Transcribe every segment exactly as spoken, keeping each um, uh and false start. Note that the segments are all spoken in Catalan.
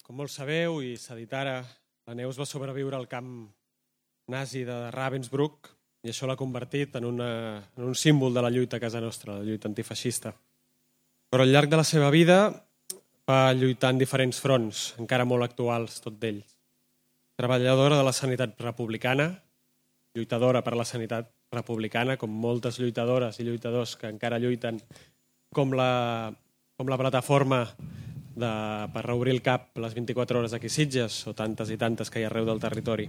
Com molts sabeu, i s'ha dit ara, la Neus va sobreviure al camp nazi de Ravensbrück i això l'ha convertit en, una, en un símbol de la lluita a casa nostra, la lluita antifeixista. Però al llarg de la seva vida va lluitar en diferents fronts, encara molt actuals, tot d'ells. Treballadora de la sanitat republicana, lluitadora per la sanitat republicana, com moltes lluitadores i lluitadors que encara lluiten, com la, com la plataforma de, per reobrir el cap les vint-i-quatre hores aquí a Sitges, o tantes i tantes que hi ha arreu del territori.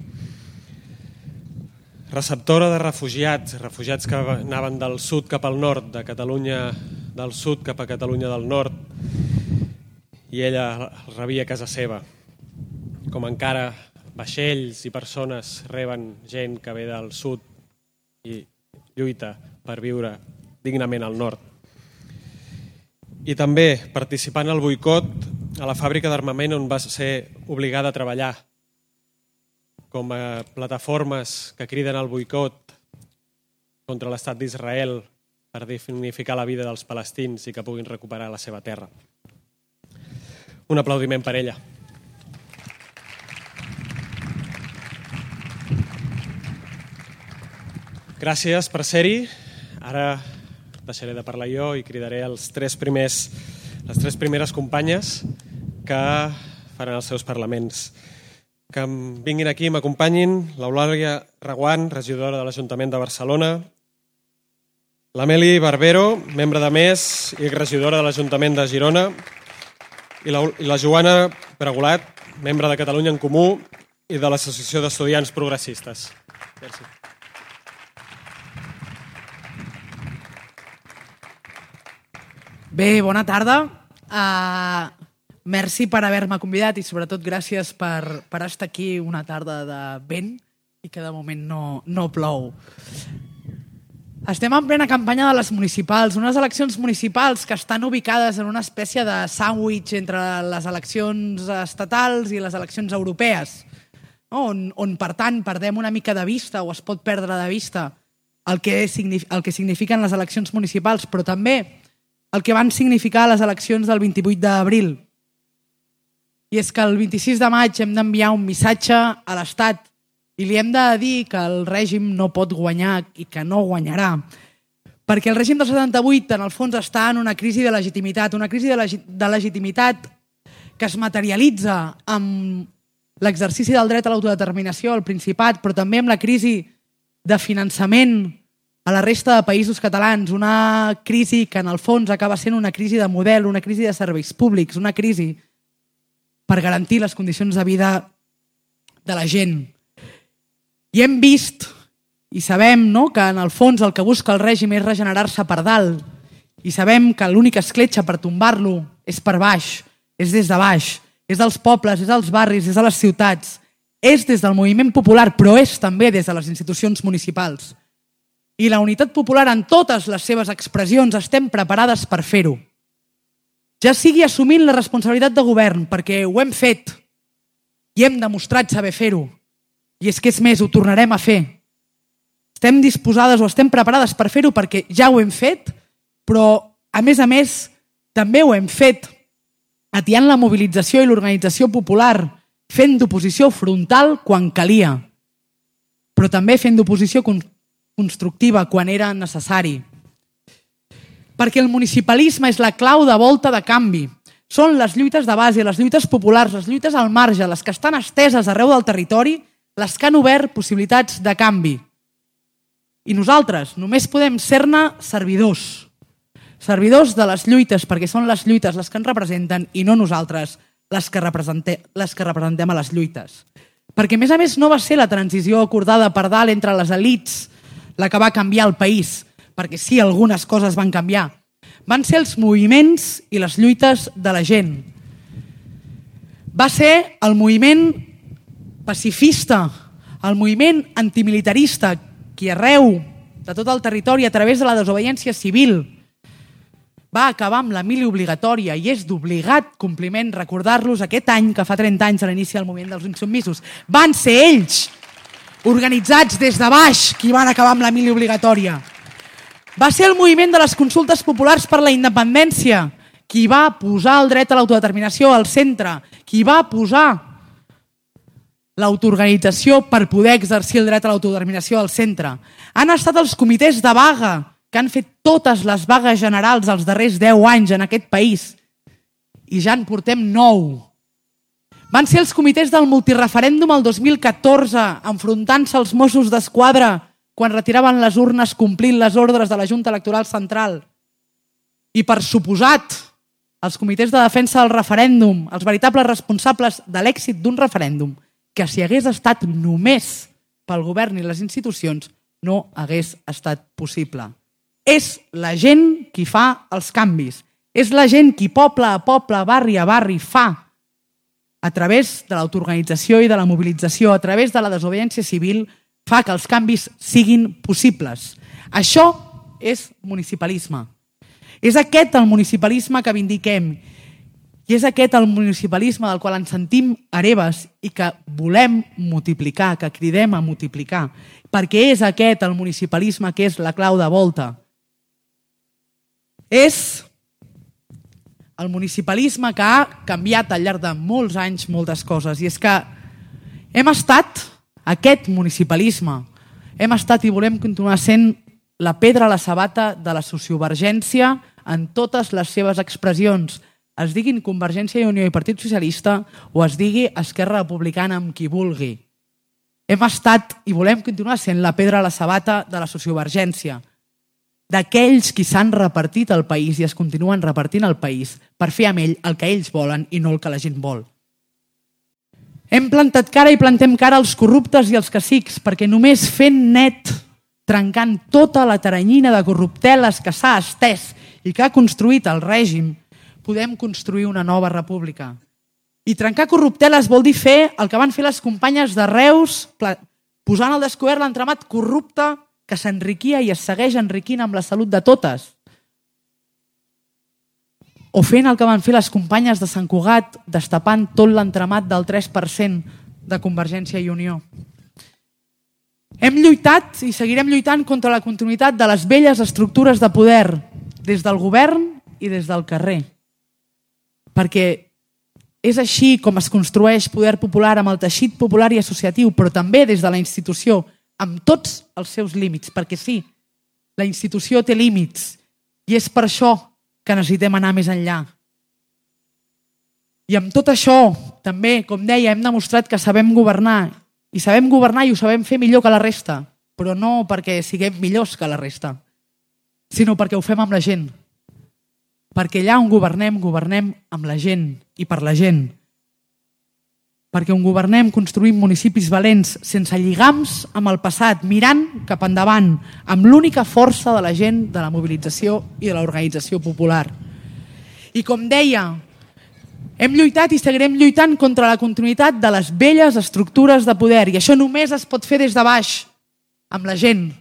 Receptora de refugiats, refugiats que anaven del sud cap al nord, de Catalunya del sud cap a Catalunya del nord, i ella els rebia a casa seva. Com encara vaixells i persones reben gent que ve del sud i lluita per viure dignament al nord. I també participant al boicot a la fàbrica d'armament on va ser obligada a treballar, com a plataformes que criden al boicot contra l'estat d'Israel per dignificar la vida dels palestins i que puguin recuperar la seva terra. Un aplaudiment per ella. Gràcies per ser-hi. Ara deixaré de parlar jo i cridaré els tres primers, les tres primeres companyes que faran els seus parlaments. Que em vinguin aquí i m'acompanyin l'Eulàlia Reguant, regidora de l'Ajuntament de Barcelona, l'Ameli Barbero, membre de MES i regidora de l'Ajuntament de Girona, i la, i la Joana Pregolat, membre de Catalunya en Comú i de l'Associació d'Estudiants Progressistes. Gràcies. Bé, bona tarda. Uh, merci per haver-me convidat i sobretot gràcies per, per estar aquí una tarda de vent i que de moment no, no plou. Estem en plena campanya de les municipals, unes eleccions municipals que estan ubicades en una espècie de sàndwich entre les eleccions estatals i les eleccions europees, no? on, on per tant perdem una mica de vista o es pot perdre de vista el que, el que signifiquen les eleccions municipals, però també el que van significar les eleccions del vint-i-vuit d'abril. I és que el vint-i-sis de maig hem d'enviar un missatge a l'Estat i li hem de dir que el règim no pot guanyar i que no guanyarà. Perquè el règim del setanta-vuit, en el fons, està en una crisi de legitimitat, una crisi de, legi- de legitimitat que es materialitza amb l'exercici del dret a l'autodeterminació al Principat, però també amb la crisi de finançament a la resta de països catalans, una crisi que en el fons acaba sent una crisi de model, una crisi de serveis públics, una crisi per garantir les condicions de vida de la gent. I hem vist i sabem, no?, que en el fons el que busca el règim és regenerar-se per dalt i sabem que l'única escletxa per tombar-lo és per baix, és des de baix, és dels pobles, és dels barris, és de les ciutats, és des del moviment popular, però és també des de les institucions municipals. I la unitat popular en totes les seves expressions estem preparades per fer-ho. Ja sigui assumint la responsabilitat de govern, perquè ho hem fet i hem demostrat saber fer-ho. I és que és més, ho tornarem a fer. Estem disposades o estem preparades per fer-ho perquè ja ho hem fet, però a més a més també ho hem fet atiant la mobilització i l'organització popular, fent d'oposició frontal quan calia, però també fent d'oposició constructiva quan era necessari. Perquè el municipalisme és la clau de volta de canvi. Són les lluites de base, les lluites populars, les lluites al marge, les que estan esteses arreu del territori, les que han obert possibilitats de canvi. I nosaltres només podem ser-ne servidors. Servidors de les lluites, perquè són les lluites les que ens representen i no nosaltres les que representem, les que representem a les lluites. Perquè, a més a més, no va ser la transició acordada per dalt entre les elits la que va canviar el país, perquè sí, algunes coses van canviar. Van ser els moviments i les lluites de la gent. Va ser el moviment pacifista, el moviment antimilitarista, que arreu de tot el territori, a través de la desobediència civil, va acabar amb la mili obligatòria i és d'obligat compliment recordar-los aquest any que fa trenta anys a l'inici del moviment dels insubmisos. Van ser ells, organitzats des de baix, qui van acabar amb la mili obligatòria. Va ser el moviment de les consultes populars per la independència qui va posar el dret a l'autodeterminació al centre, qui va posar l'autoorganització per poder exercir el dret a l'autodeterminació al centre. Han estat els comitès de vaga que han fet totes les vagues generals els darrers deu anys en aquest país i ja en portem nou. Van ser els comitès del multireferèndum el dos mil catorze enfrontant-se als Mossos d'Esquadra quan retiraven les urnes complint les ordres de la Junta Electoral Central. I per suposat, els comitès de defensa del referèndum, els veritables responsables de l'èxit d'un referèndum, que si hagués estat només pel govern i les institucions, no hagués estat possible. És la gent qui fa els canvis. És la gent qui poble a poble, barri a barri fa a través de l'autoorganització i de la mobilització, a través de la desobediència civil, fa que els canvis siguin possibles. Això és municipalisme. És aquest el municipalisme que vindiquem i és aquest el municipalisme del qual ens sentim hereves i que volem multiplicar, que cridem a multiplicar, perquè és aquest el municipalisme que és la clau de volta. És el municipalisme que ha canviat al llarg de molts anys moltes coses. I és que hem estat, aquest municipalisme, hem estat i volem continuar sent la pedra a la sabata de la sociovergència en totes les seves expressions, es diguin Convergència i Unió i Partit Socialista o es digui Esquerra Republicana amb qui vulgui. Hem estat i volem continuar sent la pedra a la sabata de la sociovergència, d'aquells qui s'han repartit el país i es continuen repartint el país per fer amb ell el que ells volen i no el que la gent vol. Hem plantat cara i plantem cara als corruptes i als cacics perquè només fent net, trencant tota la taranyina de corrupteles que s'ha estès i que ha construït el règim, podem construir una nova república. I trencar corrupteles vol dir fer el que van fer les companyes de Reus, posant al descobert l'entramat corrupte que s'enriquia i es segueix enriquint amb la salut de totes. O fent el que van fer les companyes de Sant Cugat, destapant tot l'entramat del tres per cent de Convergència i Unió. Hem lluitat i seguirem lluitant contra la continuïtat de les velles estructures de poder, des del govern i des del carrer. Perquè és així com es construeix poder popular amb el teixit popular i associatiu, però també des de la institució, amb tots els seus límits, perquè sí, la institució té límits i és per això que necessitem anar més enllà. I amb tot això, també, com deia, hem demostrat que sabem governar i sabem governar i ho sabem fer millor que la resta, però no perquè siguem millors que la resta, sinó perquè ho fem amb la gent. Perquè allà on governem, governem amb la gent i per la gent. Perquè on governem construïm municipis valents, sense lligams amb el passat, mirant cap endavant, amb l'única força de la gent, de la mobilització i de l'organització popular. I com deia, hem lluitat i seguirem lluitant contra la continuïtat de les velles estructures de poder i això només es pot fer des de baix, amb la gent.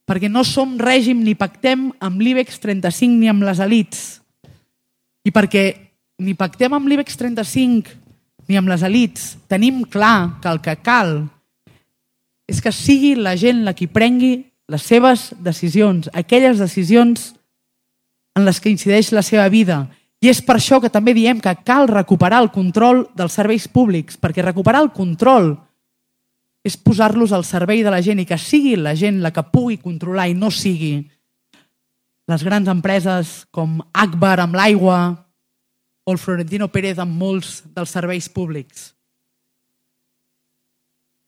Perquè no som règim ni pactem amb l'IBEX trenta-cinc ni amb les elits. I perquè ni pactem amb l'IBEX trenta-cinc ni amb les elits, tenim clar que el que cal és que sigui la gent la qui prengui les seves decisions, aquelles decisions en les que incideix la seva vida. I és per això que també diem que cal recuperar el control dels serveis públics, perquè recuperar el control és posar-los al servei de la gent i que sigui la gent la que pugui controlar i no sigui les grans empreses com Agbar amb l'aigua o el Florentino Pérez amb molts dels serveis públics.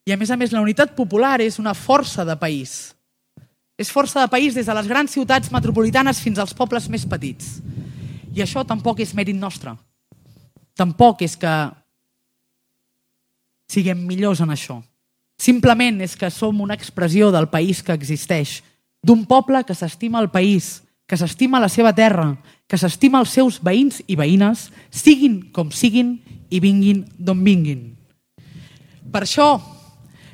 I a més a més la unitat popular és una força de país. És força de país des de les grans ciutats metropolitanes fins als pobles més petits. I això tampoc és mèrit nostre. Tampoc és que siguem millors en això. Simplement és que som una expressió del país que existeix, d'un poble que s'estima el país, que s'estima la seva terra, que s'estima els seus veïns i veïnes, siguin com siguin i vinguin d'on vinguin. Per això,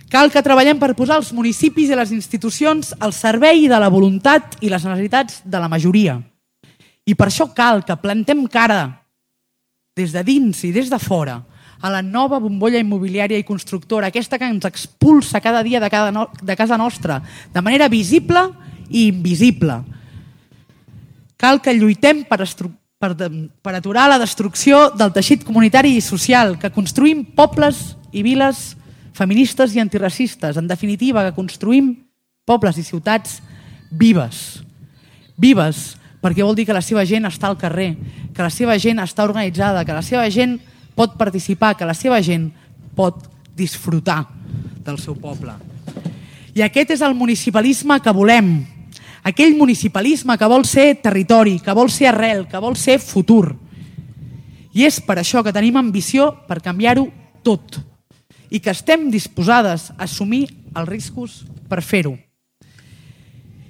cal que treballem per posar els municipis i les institucions al servei de la voluntat i les necessitats de la majoria. I per això cal que plantem cara des de dins i des de fora a la nova bombolla immobiliària i constructora, aquesta que ens expulsa cada dia de, cada no, de casa nostra, de manera visible i invisible. Cal que lluitem per, per, per aturar la destrucció del teixit comunitari i social, que construïm pobles i viles feministes i antiracistes. En definitiva, que construïm pobles i ciutats vives. Vives, perquè vol dir que la seva gent està al carrer, que la seva gent està organitzada, que la seva gent pot participar, que la seva gent pot disfrutar del seu poble. I aquest és el municipalisme que volem. Aquell municipalisme que vol ser territori, que vol ser arrel, que vol ser futur. I és per això que tenim ambició per canviar-ho tot i que estem disposades a assumir els riscos per fer-ho.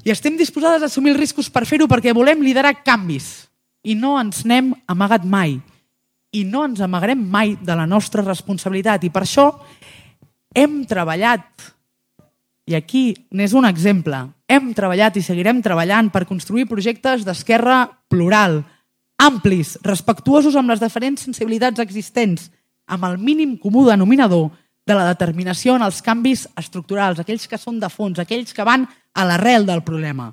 I estem disposades a assumir els riscos per fer-ho perquè volem liderar canvis i no ens n'hem amagat mai i no ens amagarem mai de la nostra responsabilitat. I per això hem treballat, i aquí n'és un exemple, hem treballat i seguirem treballant per construir projectes d'esquerra plural, amplis, respectuosos amb les diferents sensibilitats existents, amb el mínim comú denominador de la determinació en els canvis estructurals, aquells que són de fons, aquells que van a l'arrel del problema.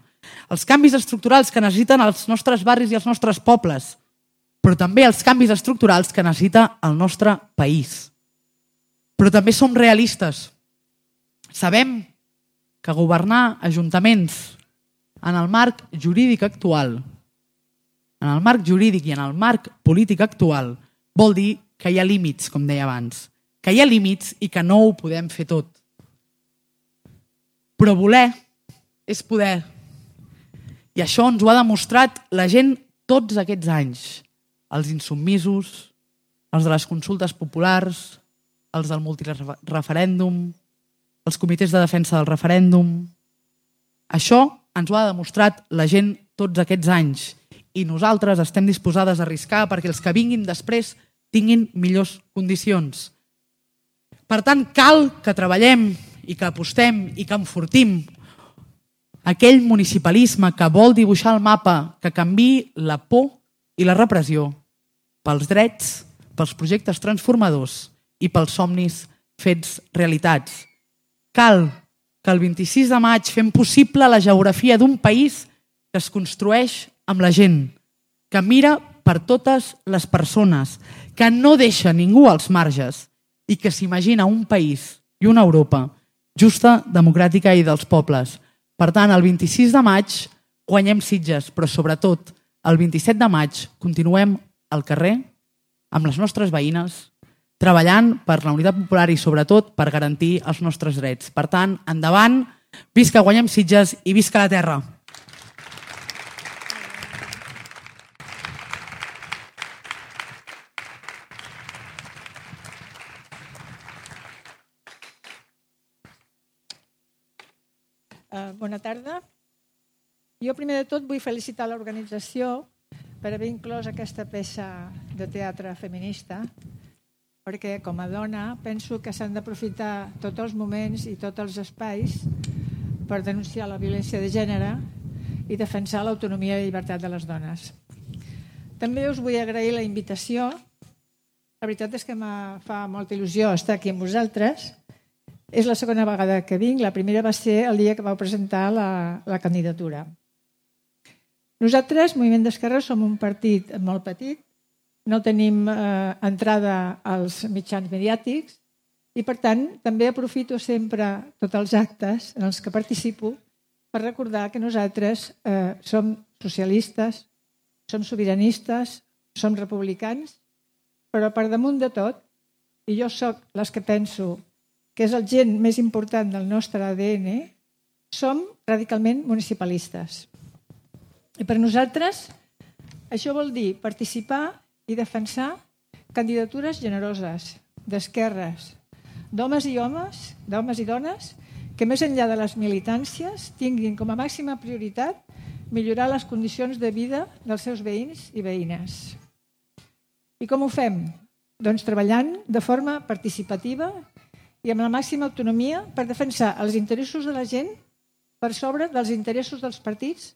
Els canvis estructurals que necessiten els nostres barris i els nostres pobles, però també els canvis estructurals que necessita el nostre país. Però també som realistes. Sabem que governar ajuntaments en el marc jurídic actual, en el marc jurídic i en el marc polític actual, vol dir que hi ha límits, com deia abans, que hi ha límits i que no ho podem fer tot. Però voler és poder. I això ens ho ha demostrat la gent tots aquests anys. Els insubmisos, els de les consultes populars, els del multireferèndum, els comitès de defensa del referèndum. Això ens ho ha demostrat la gent tots aquests anys i nosaltres estem disposades a arriscar perquè els que vinguin després tinguin millors condicions. Per tant, cal que treballem i que apostem i que enfortim aquell municipalisme que vol dibuixar el mapa, que canviï la por i la repressió pels drets, pels projectes transformadors i pels somnis fets realitats. Cal que el vint-i-sis de maig fem possible la geografia d'un país que es construeix amb la gent, que mira per totes les persones, que no deixa ningú als marges i que s'imagina un país i una Europa justa, democràtica i dels pobles. Per tant, el vint-i-sis de maig guanyem Sitges, però sobretot el vint-i-set de maig continuem al carrer amb les nostres veïnes, treballant per la unitat popular i sobretot per garantir els nostres drets. Per tant, endavant, visca guanyem Sitges i visca la terra! Uh, bona tarda. Jo primer de tot vull felicitar l'organització per haver inclòs aquesta peça de teatre feminista, perquè com a dona penso que s'han d'aprofitar tots els moments i tots els espais per denunciar la violència de gènere i defensar l'autonomia i llibertat de les dones. També us vull agrair la invitació. La veritat és que em fa molta il·lusió estar aquí amb vosaltres. És la segona vegada que vinc. La primera va ser el dia que vau presentar la, la candidatura. Nosaltres, Moviment d'Esquerra, som un partit molt petit, no tenim eh, entrada als mitjans mediàtics i, per tant, també aprofito sempre tots els actes en els que participo per recordar que nosaltres eh, som socialistes, som sobiranistes, som republicans, però per damunt de tot, i jo sóc les que penso que és el gen més important del nostre A D N, som radicalment municipalistes. I per nosaltres això vol dir participar i defensar candidatures generoses, d'esquerres, d'homes i homes, d'homes i dones, que més enllà de les militàncies tinguin com a màxima prioritat millorar les condicions de vida dels seus veïns i veïnes. I com ho fem? Doncs treballant de forma participativa i amb la màxima autonomia per defensar els interessos de la gent per sobre dels interessos dels partits,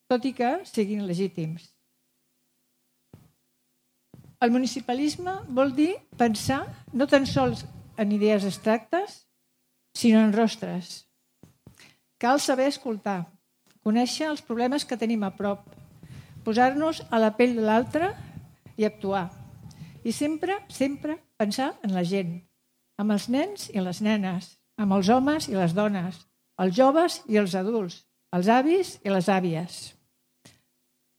tot i que siguin legítims. El municipalisme vol dir pensar no tan sols en idees abstractes, sinó en rostres. Cal saber escoltar, conèixer els problemes que tenim a prop, posar-nos a la pell de l'altre i actuar. I sempre, sempre pensar en la gent, amb els nens i les nenes, amb els homes i les dones, els joves i els adults, els avis i les àvies.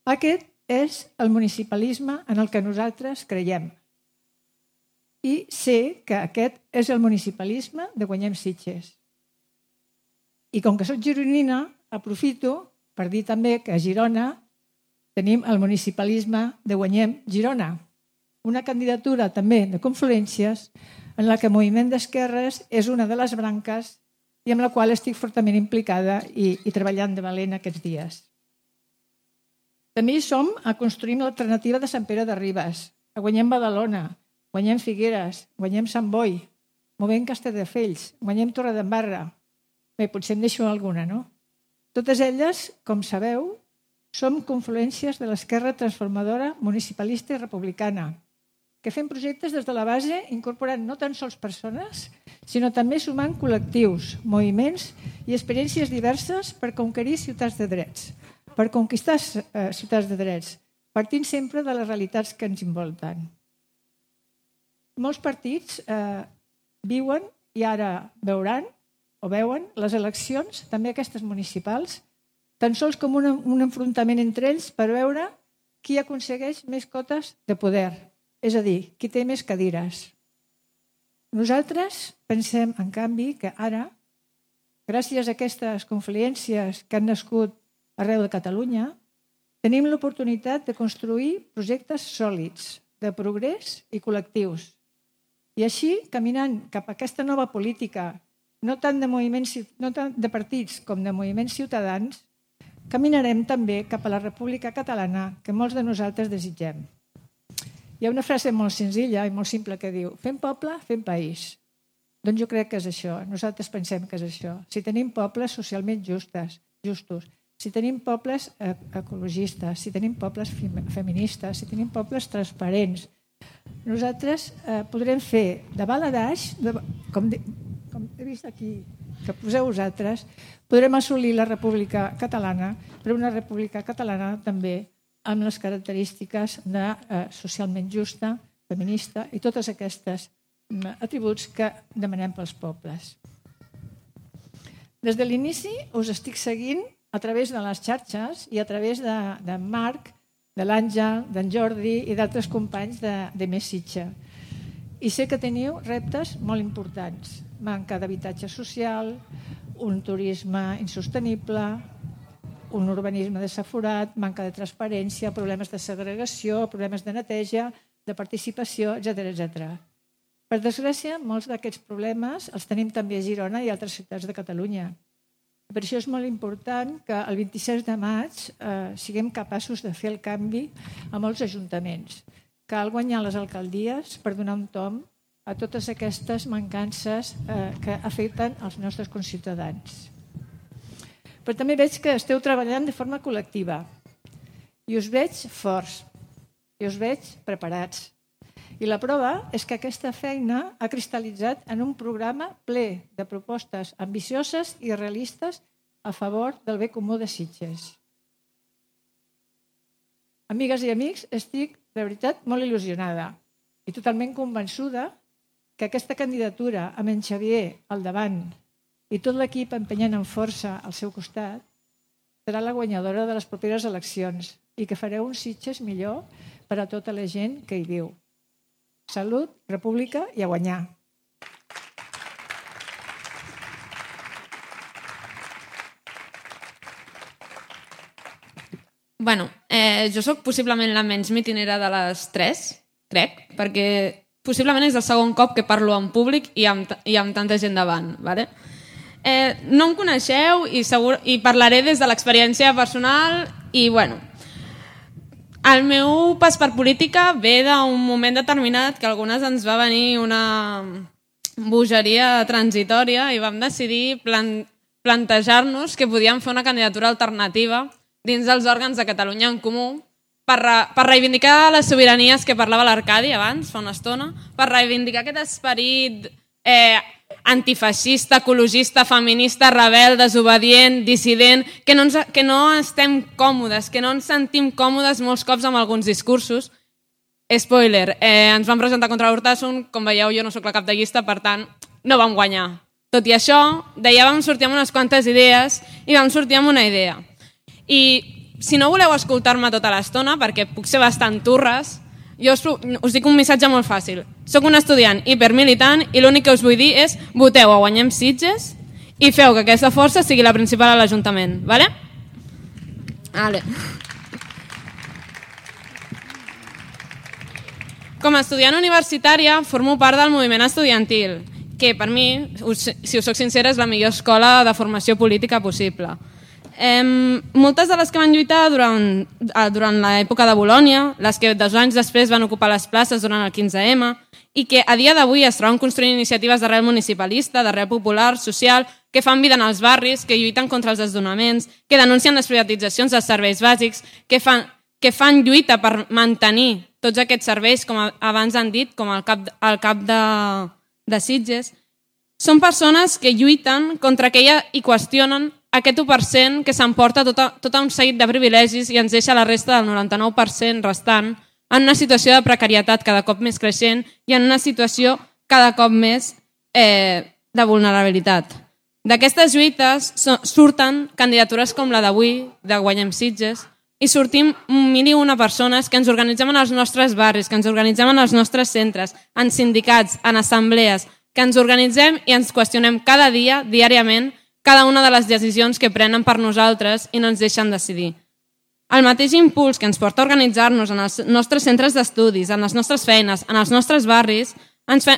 Aquest és el municipalisme en el que nosaltres creiem. I sé que aquest és el municipalisme de Guanyem Sitges. I com que soc gironina, aprofito per dir també que a Girona tenim el municipalisme de Guanyem Girona, una candidatura també de confluències en la que el moviment d'esquerres és una de les branques i amb la qual estic fortament implicada i, i treballant de valent aquests dies. També hi som a construir l'alternativa de Sant Pere de Ribes, a Guanyem Badalona, Guanyem Figueres, Guanyem Sant Boi, Movent Castelldefels, Guanyem Torredembarra. Bé, potser em deixo alguna, no? Totes elles, com sabeu, som confluències de l'esquerra transformadora municipalista i republicana, que fem projectes des de la base incorporant no tan sols persones, sinó també sumant col·lectius, moviments i experiències diverses per conquerir ciutats de drets, per conquistar eh, ciutats de drets, partint sempre de les realitats que ens envolten. Molts partits eh, viuen i ara veuran o veuen les eleccions, també aquestes municipals, tan sols com un, un enfrontament entre ells per veure qui aconsegueix més cotes de poder, és a dir, qui té més cadires. Nosaltres pensem, en canvi, que ara, gràcies a aquestes confluències que han nascut arreu de Catalunya, tenim l'oportunitat de construir projectes sòlids, de progrés i col·lectius. I així, caminant cap a aquesta nova política, no tant de, moviments, no tant de partits com de moviments ciutadans, caminarem també cap a la República Catalana que molts de nosaltres desitgem. Hi ha una frase molt senzilla i molt simple que diu: fem poble, fem país. Doncs jo crec que és això. Nosaltres pensem que és això. Si tenim pobles socialment justes, justos, si tenim pobles ecologistes, si tenim pobles feministes, si tenim pobles transparents, nosaltres eh, podrem fer de baladage, de, com, de, com he vist aquí, que poseu vosaltres, podrem assolir la República Catalana, però una República Catalana també amb les característiques de eh, socialment justa, feminista i totes aquestes atributs que demanem pels pobles. Des de l'inici us estic seguint a través de les xarxes i a través de, de Marc, de l'Àngel, d'en Jordi i d'altres companys de, de Més Sitges. I sé que teniu reptes molt importants. Manca d'habitatge social, un turisme insostenible, un urbanisme desaforat, manca de transparència, problemes de segregació, problemes de neteja, de participació, etcètera, etcètera. Per desgràcia, molts d'aquests problemes els tenim també a Girona i altres ciutats de Catalunya. Per això és molt important que el vint-i-sis de maig eh, siguem capaços de fer el canvi a molts ajuntaments. Cal guanyar les alcaldies per donar un tom a totes aquestes mancances eh, que afecten els nostres conciutadans. Però també veig que esteu treballant de forma col·lectiva i us veig forts i us veig preparats. I la prova és que aquesta feina ha cristal·litzat en un programa ple de propostes ambicioses i realistes a favor del bé comú de Sitges. Amigues i amics, estic de veritat molt il·lusionada i totalment convençuda que aquesta candidatura amb en Xavier al davant i tot l'equip empenyant amb força al seu costat serà la guanyadora de les properes eleccions i que fareu un Sitges millor per a tota la gent que hi viu. Salut, república i a guanyar. Bueno, eh, jo sóc possiblement la menys mitinera de les tres, crec, perquè possiblement és el segon cop que parlo en públic i amb, i amb tanta gent davant. Vale? Eh, no em coneixeu i, segur, i parlaré des de l'experiència personal i, bueno, el meu pas per política ve d'un moment determinat que a algunes ens va venir una bogeria transitòria i vam decidir plan- plantejar-nos que podíem fer una candidatura alternativa dins dels òrgans de Catalunya en Comú per, re- per reivindicar les sobiranies que parlava l'Arcadi abans, fa una estona, per reivindicar aquest esperit eh, antifeixista, ecologista, feminista, rebel, desobedient, dissident, que no, ens, que no estem còmodes, que no ens sentim còmodes molts cops amb alguns discursos. Spoiler, eh, ens vam presentar contra l'Hortasson, com veieu jo no sóc la cap de llista, per tant no vam guanyar. Tot i això, d'allà vam sortir amb unes quantes idees i vam sortir amb una idea. I si no voleu escoltar-me tota l'estona, perquè puc ser bastant turres, jo us, us dic un missatge molt fàcil. Soc un estudiant hipermilitant i l'únic que us vull dir és voteu a Guanyem Sitges i feu que aquesta força sigui la principal a l'Ajuntament. Vale? Vale. Com a estudiant universitària formo part del moviment estudiantil, que per mi, si us soc sincera, és la millor escola de formació política possible. Eh, moltes de les que van lluitar durant, durant l'època de Bolònia, les que dos anys després van ocupar les places durant el quinze ema, i que a dia d'avui es troben construint iniciatives d'arrel municipalista, d'arrel popular, social, que fan vida en els barris, que lluiten contra els desnonaments, que denuncien les privatitzacions dels serveis bàsics, que fan, que fan lluita per mantenir tots aquests serveis, com abans han dit, com el cap, el cap de, de Sitges. Són persones que lluiten contra aquella i qüestionen aquest u per cent que s'emporta tot, tot un seguit de privilegis i ens deixa la resta del noranta-nou per cent restant en una situació de precarietat cada cop més creixent i en una situació cada cop més eh, de vulnerabilitat. D'aquestes lluites surten candidatures com la d'avui, de Guanyem Sitges, i sortim mil i una persones que ens organitzem en els nostres barris, que ens organitzem en els nostres centres, en sindicats, en assemblees, que ens organitzem i ens qüestionem cada dia, diàriament, cada una de les decisions que prenen per nosaltres i no ens deixen decidir. El mateix impuls que ens porta a organitzar-nos en els nostres centres d'estudis, en les nostres feines, en els nostres barris, ens fa,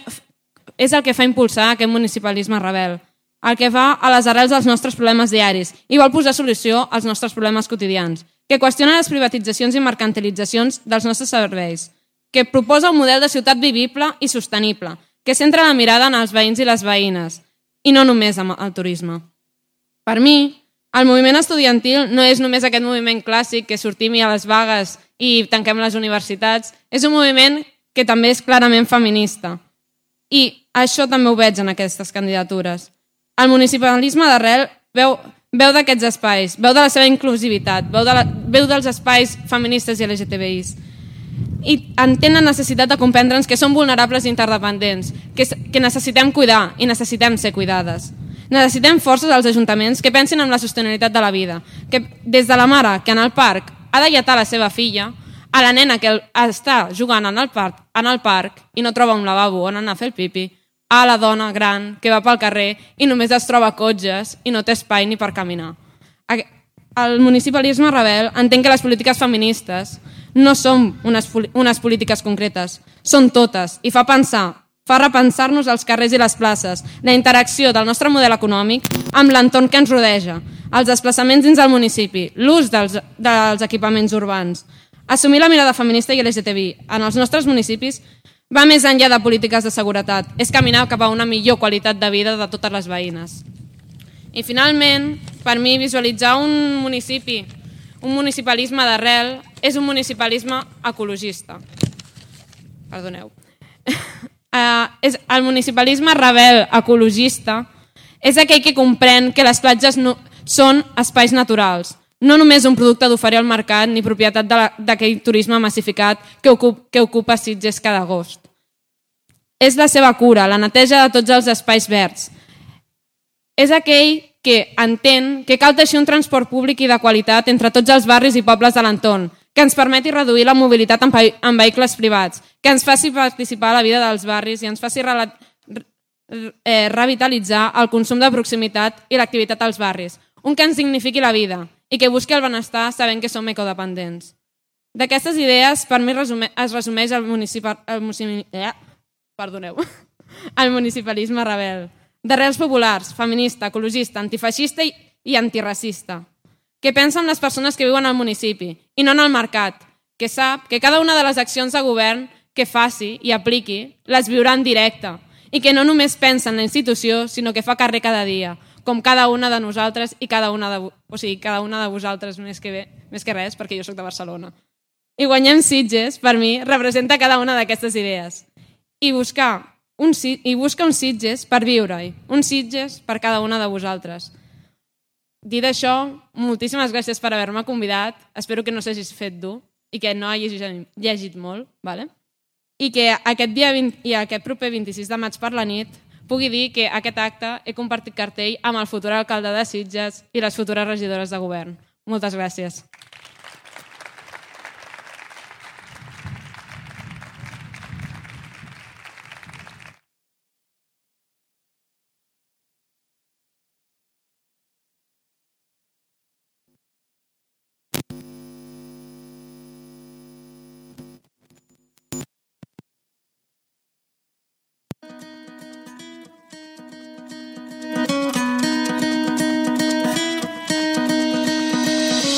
és el que fa impulsar aquest municipalisme rebel, el que va a les arrels dels nostres problemes diaris i vol posar solució als nostres problemes quotidians, que qüestiona les privatitzacions i mercantilitzacions dels nostres serveis, que proposa un model de ciutat vivible i sostenible, que centra la mirada en els veïns i les veïnes, i no només amb el turisme. Per mi, el moviment estudiantil no és només aquest moviment clàssic que sortim a les vagues i tanquem les universitats, és un moviment que també és clarament feminista. I això també ho veig en aquestes candidatures. El municipalisme d'arrel veu, veu d'aquests espais, veu de la seva inclusivitat, veu, de la, veu dels espais feministes i L G T B Is. I entén la necessitat de comprendre'ns que som vulnerables i interdependents, que, que necessitem cuidar i necessitem ser cuidades. Necessitem forces als ajuntaments que pensin en la sostenibilitat de la vida, que des de la mare que en el parc ha de lletar la seva filla, a la nena que està jugant en el parc, en el parc i no troba un lavabo on anar a fer el pipi, a la dona gran que va pel carrer i només es troba cotxes i no té espai ni per caminar. El municipalisme rebel entén que les polítiques feministes no són unes, unes polítiques concretes, són totes i fa pensar, fa repensar-nos els carrers i les places, la interacció del nostre model econòmic amb l'entorn que ens rodeja, els desplaçaments dins del municipi, l'ús dels, dels equipaments urbans. Assumir la mirada feminista i L G T B I en els nostres municipis va més enllà de polítiques de seguretat, és caminar cap a una millor qualitat de vida de totes les veïnes. I finalment, per mi, visualitzar un municipi, un municipalisme d'arrel, és un municipalisme ecologista. Perdoneu. Uh, és, el municipalisme rebel ecologista és aquell que comprèn que les platges no, són espais naturals, no només un producte d'oferir al mercat ni propietat d'aquell turisme massificat que, ocup, que ocupa Sitges cada agost. És la seva cura, la neteja de tots els espais verds. És aquell que entén que cal teixir un transport públic i de qualitat entre tots els barris i pobles de l'entorn, que ens permeti reduir la mobilitat en, en vehicles privats, que ens faci participar a la vida dels barris i ens faci re, eh, revitalitzar el consum de proximitat i l'activitat als barris, un que ens dignifiqui la vida i que busqui el benestar sabent que som ecodependents. D'aquestes idees, per mi resume, es resumeix el, municipa, el, eh, perdoneu, el municipalisme rebel, d'arrels populars, feminista, ecologista, antifeixista i, i antiracista, que pensa en les persones que viuen al municipi i no en el mercat, que sap que cada una de les accions de govern que faci i apliqui les viurà en directe i que no només pensa en la institució, sinó que fa carrer cada dia, com cada una de nosaltres i cada una de, o sigui, cada una de vosaltres més que, bé, més que res, perquè jo soc de Barcelona. I Guanyem Sitges, per mi, representa cada una d'aquestes idees. I buscar un, i busca un Sitges per viure-hi, un Sitges per cada una de vosaltres. Dit això, moltíssimes gràcies per haver-me convidat, espero que no s'hagis fet dur i que no hagis llegit molt, ¿vale? I que aquest, dia vint, i aquest proper vint-i-sis de maig per la nit pugui dir que aquest acte he compartit cartell amb el futur alcalde de Sitges i les futures regidores de govern. Moltes gràcies.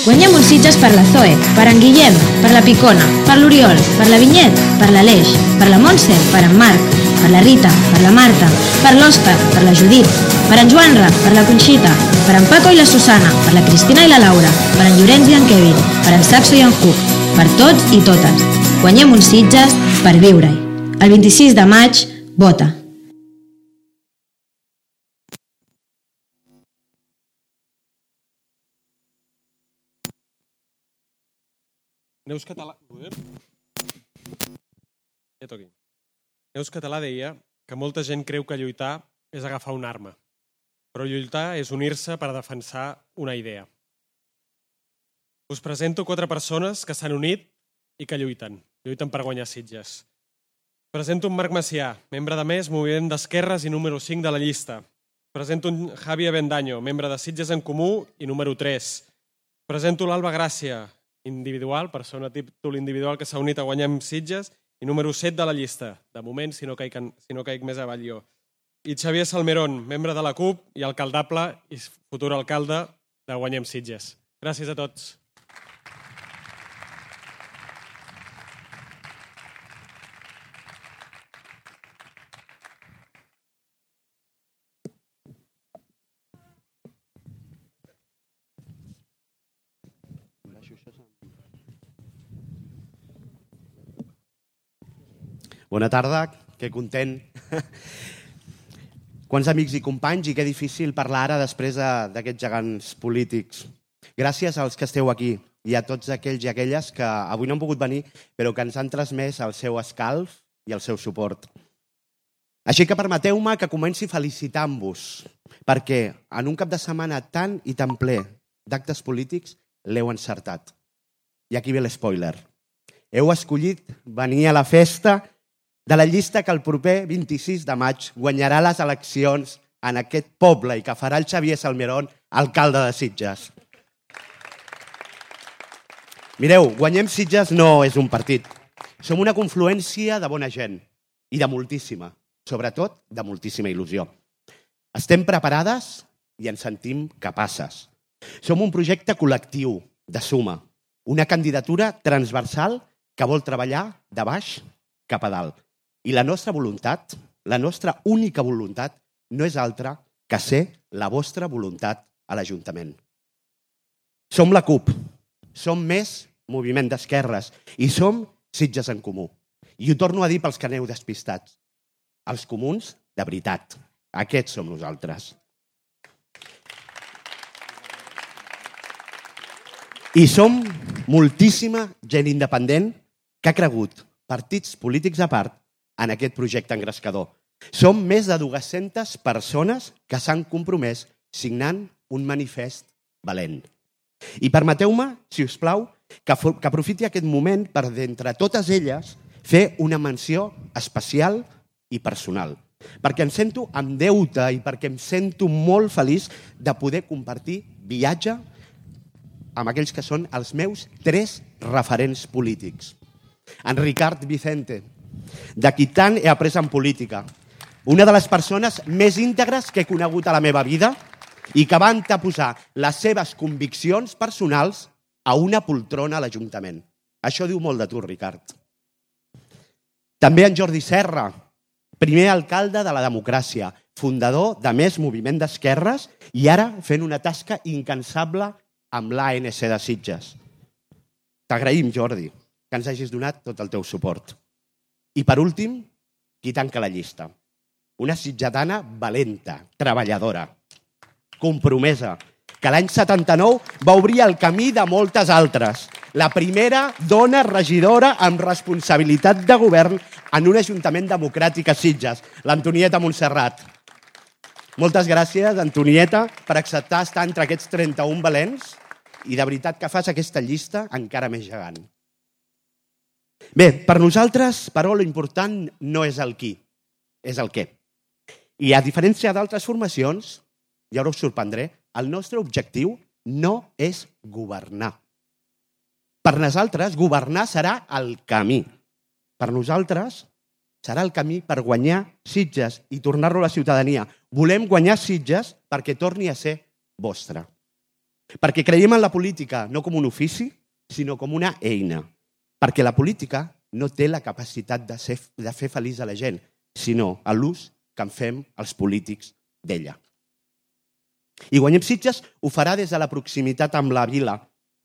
Guanyem un Sitges per la Zoe, per en Guillem, per la Picona, per l'Oriol, per la Vinyet, per l'Aleix, per la Montse, per en Marc, per la Rita, per la Marta, per l'Òscar, per la Judit, per en Joanra, per la Conxita, per en Paco i la Susana, per la Cristina i la Laura, per en Llorenç i en Kevin, per en Saxo i en Hug, per tots i totes. Guanyem un Sitges per viure-hi. El vint-i-sis de maig, vota. Neus Català... Ja toqui. Neus Català deia que molta gent creu que lluitar és agafar una arma, però lluitar és unir-se per defensar una idea. Us presento quatre persones que s'han unit i que lluiten. Lluiten per guanyar Sitges. Presento un Marc Macià, membre de Més, Moviment d'Esquerres i número cinc de la llista. Presento un Javi Avendaño, membre de Sitges en Comú i número tres. Presento l'Alba Gràcia, individual, persona títol individual que s'ha unit a guanyar Sitges, i número set de la llista, de moment, si no caic, si no caic més avall jo. I Xavier Salmerón, membre de la CUP i alcaldable i futur alcalde de Guanyem Sitges. Gràcies a tots. Bona tarda, que content. Quants amics i companys i que difícil parlar ara després d'aquests gegants polítics. Gràcies als que esteu aquí i a tots aquells i aquelles que avui no han pogut venir però que ens han transmès el seu escalf i el seu suport. Així que permeteu-me que comenci felicitant-vos perquè en un cap de setmana tan i tan ple d'actes polítics l'heu encertat. I aquí ve l'espoiler. Heu escollit venir a la festa de la llista que el proper vint-i-sis de maig guanyarà les eleccions en aquest poble i que farà el Xavier Salmerón alcalde de Sitges. Mireu, Guanyem Sitges no és un partit. Som una confluència de bona gent i de moltíssima, sobretot de moltíssima il·lusió. Estem preparades i ens sentim capaces. Som un projecte col·lectiu de suma, una candidatura transversal que vol treballar de baix cap a dalt. I la nostra voluntat, la nostra única voluntat, no és altra que ser la vostra voluntat a l'Ajuntament. Som la CUP, som Més Moviment d'Esquerres i som Sitges en Comú. I ho torno a dir pels que aneu despistats. Els comuns, de veritat. Aquests som nosaltres. I som moltíssima gent independent que ha cregut, partits polítics a part, en aquest projecte engrescador. Som més de dues-centes persones que s'han compromès signant un manifest valent. I permeteu-me, si us plau, que, que aprofiti aquest moment per, d'entre totes elles, fer una menció especial i personal. Perquè em sento amb deute i perquè em sento molt feliç de poder compartir viatge amb aquells que són els meus tres referents polítics. En Ricard Vicente, de qui tant he après en política. Una de les persones més íntegres que he conegut a la meva vida i que va anteposar les seves conviccions personals a una poltrona a l'Ajuntament. Això diu molt de tu, Ricard. També en Jordi Serra, primer alcalde de la democràcia, fundador de Més Moviment d'Esquerres i ara fent una tasca incansable amb l'A N C de Sitges. T'agraïm, Jordi, que ens hagis donat tot el teu suport. I per últim, qui tanca la llista? una sitgetana valenta, treballadora, compromesa, que l'any setanta-nou va obrir el camí de moltes altres. La primera dona regidora amb responsabilitat de govern en un ajuntament democràtic a Sitges, l'Antonieta Montserrat. Moltes gràcies, Antonieta, per acceptar estar entre aquests trenta-un valents i de veritat que fas aquesta llista encara més gegant. Bé, per nosaltres, però, l'important no és el qui, és el què. I a diferència d'altres formacions, i ara us sorprendré, el nostre objectiu no és governar. Per nosaltres, governar serà el camí. Per nosaltres, serà el camí per guanyar Sitges i tornar-lo a la ciutadania. Volem guanyar Sitges perquè torni a ser vostre. Perquè creiem en la política no com un ofici, sinó com una eina. Perquè la política no té la capacitat de, ser, de fer feliç a la gent, sinó a l'ús que en fem els polítics d'ella. I Guanyem Sitges ho farà des de la proximitat amb la vila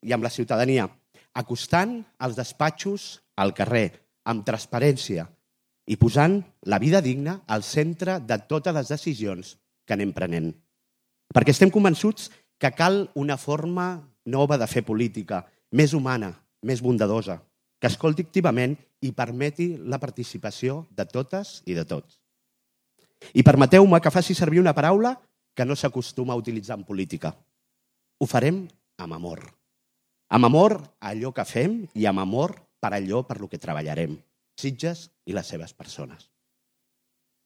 i amb la ciutadania, acostant els despatxos al carrer, amb transparència i posant la vida digna al centre de totes les decisions que anem prenent. Perquè estem convençuts que cal una forma nova de fer política, més humana, més bondadosa, que escolti activament i permeti la participació de totes i de tots. I permeteu-me que faci servir una paraula que no s'acostuma a utilitzar en política. Ho farem amb amor. Amb amor a allò que fem i amb amor per allò per lo que treballarem, Sitges i les seves persones.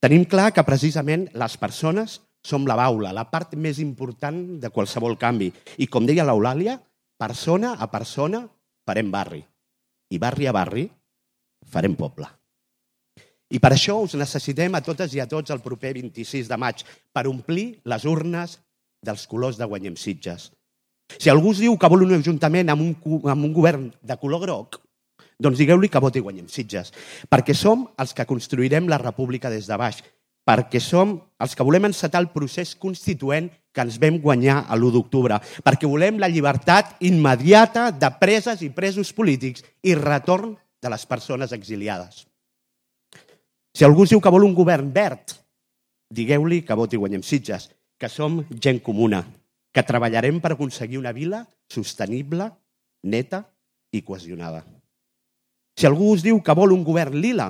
Tenim clar que precisament les persones som la baula, la part més important de qualsevol canvi. I com deia l'Eulàlia, persona a persona farem barri. I barri a barri farem poble. I per això us necessitem a totes i a tots el proper vint-i-sis de maig per omplir les urnes dels colors de Guanyem Sitges. Si algú us diu que vol un ajuntament amb un, amb un govern de color groc, doncs digueu-li que voti Guanyem Sitges, perquè som els que construirem la república des de baix, perquè som els que volem encetar el procés constituent que ens vam guanyar a l'u d'octubre, perquè volem la llibertat immediata de preses i presos polítics i retorn de les persones exiliades. Si algú us diu que vol un govern verd, digueu-li que voti Guanyem Sitges, que som gent comuna, que treballarem per aconseguir una vila sostenible, neta i cohesionada. Si algú us diu que vol un govern lila,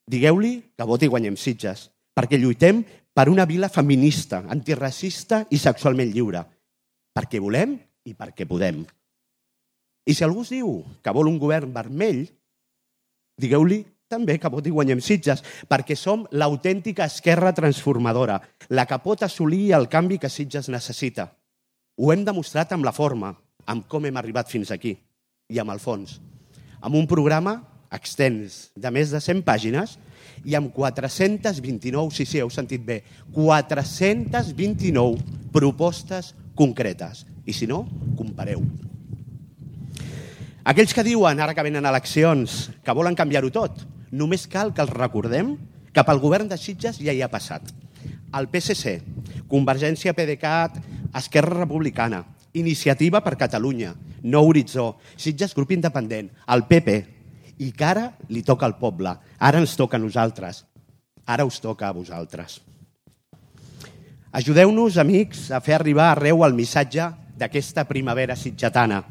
digueu-li que voti Guanyem Sitges, perquè lluitem per una vila feminista, antiracista i sexualment lliure, perquè volem i perquè podem. I si algú us diu que vol un govern vermell, digueu-li també que voti Guanyem Sitges, perquè som l'autèntica esquerra transformadora, la que pot assolir el canvi que Sitges necessita. Ho hem demostrat amb la forma, amb com hem arribat fins aquí, i amb el fons. Amb un programa extens de més de cent pàgines i amb quatre-cents vint-i-nou, sí, sí, heu sentit bé, quatre-cents vint-i-nou propostes concretes. I si no, compareu. Aquells que diuen, ara que venen eleccions, que volen canviar-ho tot, només cal que els recordem que pel govern de Sitges ja hi ha passat. El P S C, Convergència PDeCAT, Esquerra Republicana, Iniciativa per Catalunya, Nou Horitzó, Sitges Grup Independent, el P P, i que ara li toca al poble. Ara ens toca a nosaltres. Ara us toca a vosaltres. Ajudeu-nos, amics, a fer arribar arreu el missatge d'aquesta primavera sitgetana,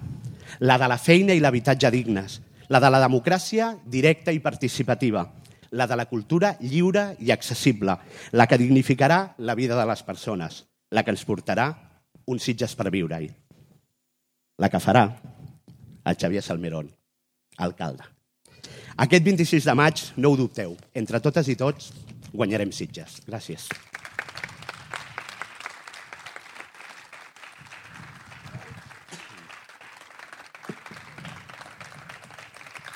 la de la feina i l'habitatge dignes, la de la democràcia directa i participativa, la de la cultura lliure i accessible, la que dignificarà la vida de les persones, la que ens portarà un Sitges per viure-hi, la que farà el Xavier Salmerón, alcalde. Aquest vint-i-sis de maig, no ho dubteu, entre totes i tots guanyarem Sitges. Gràcies.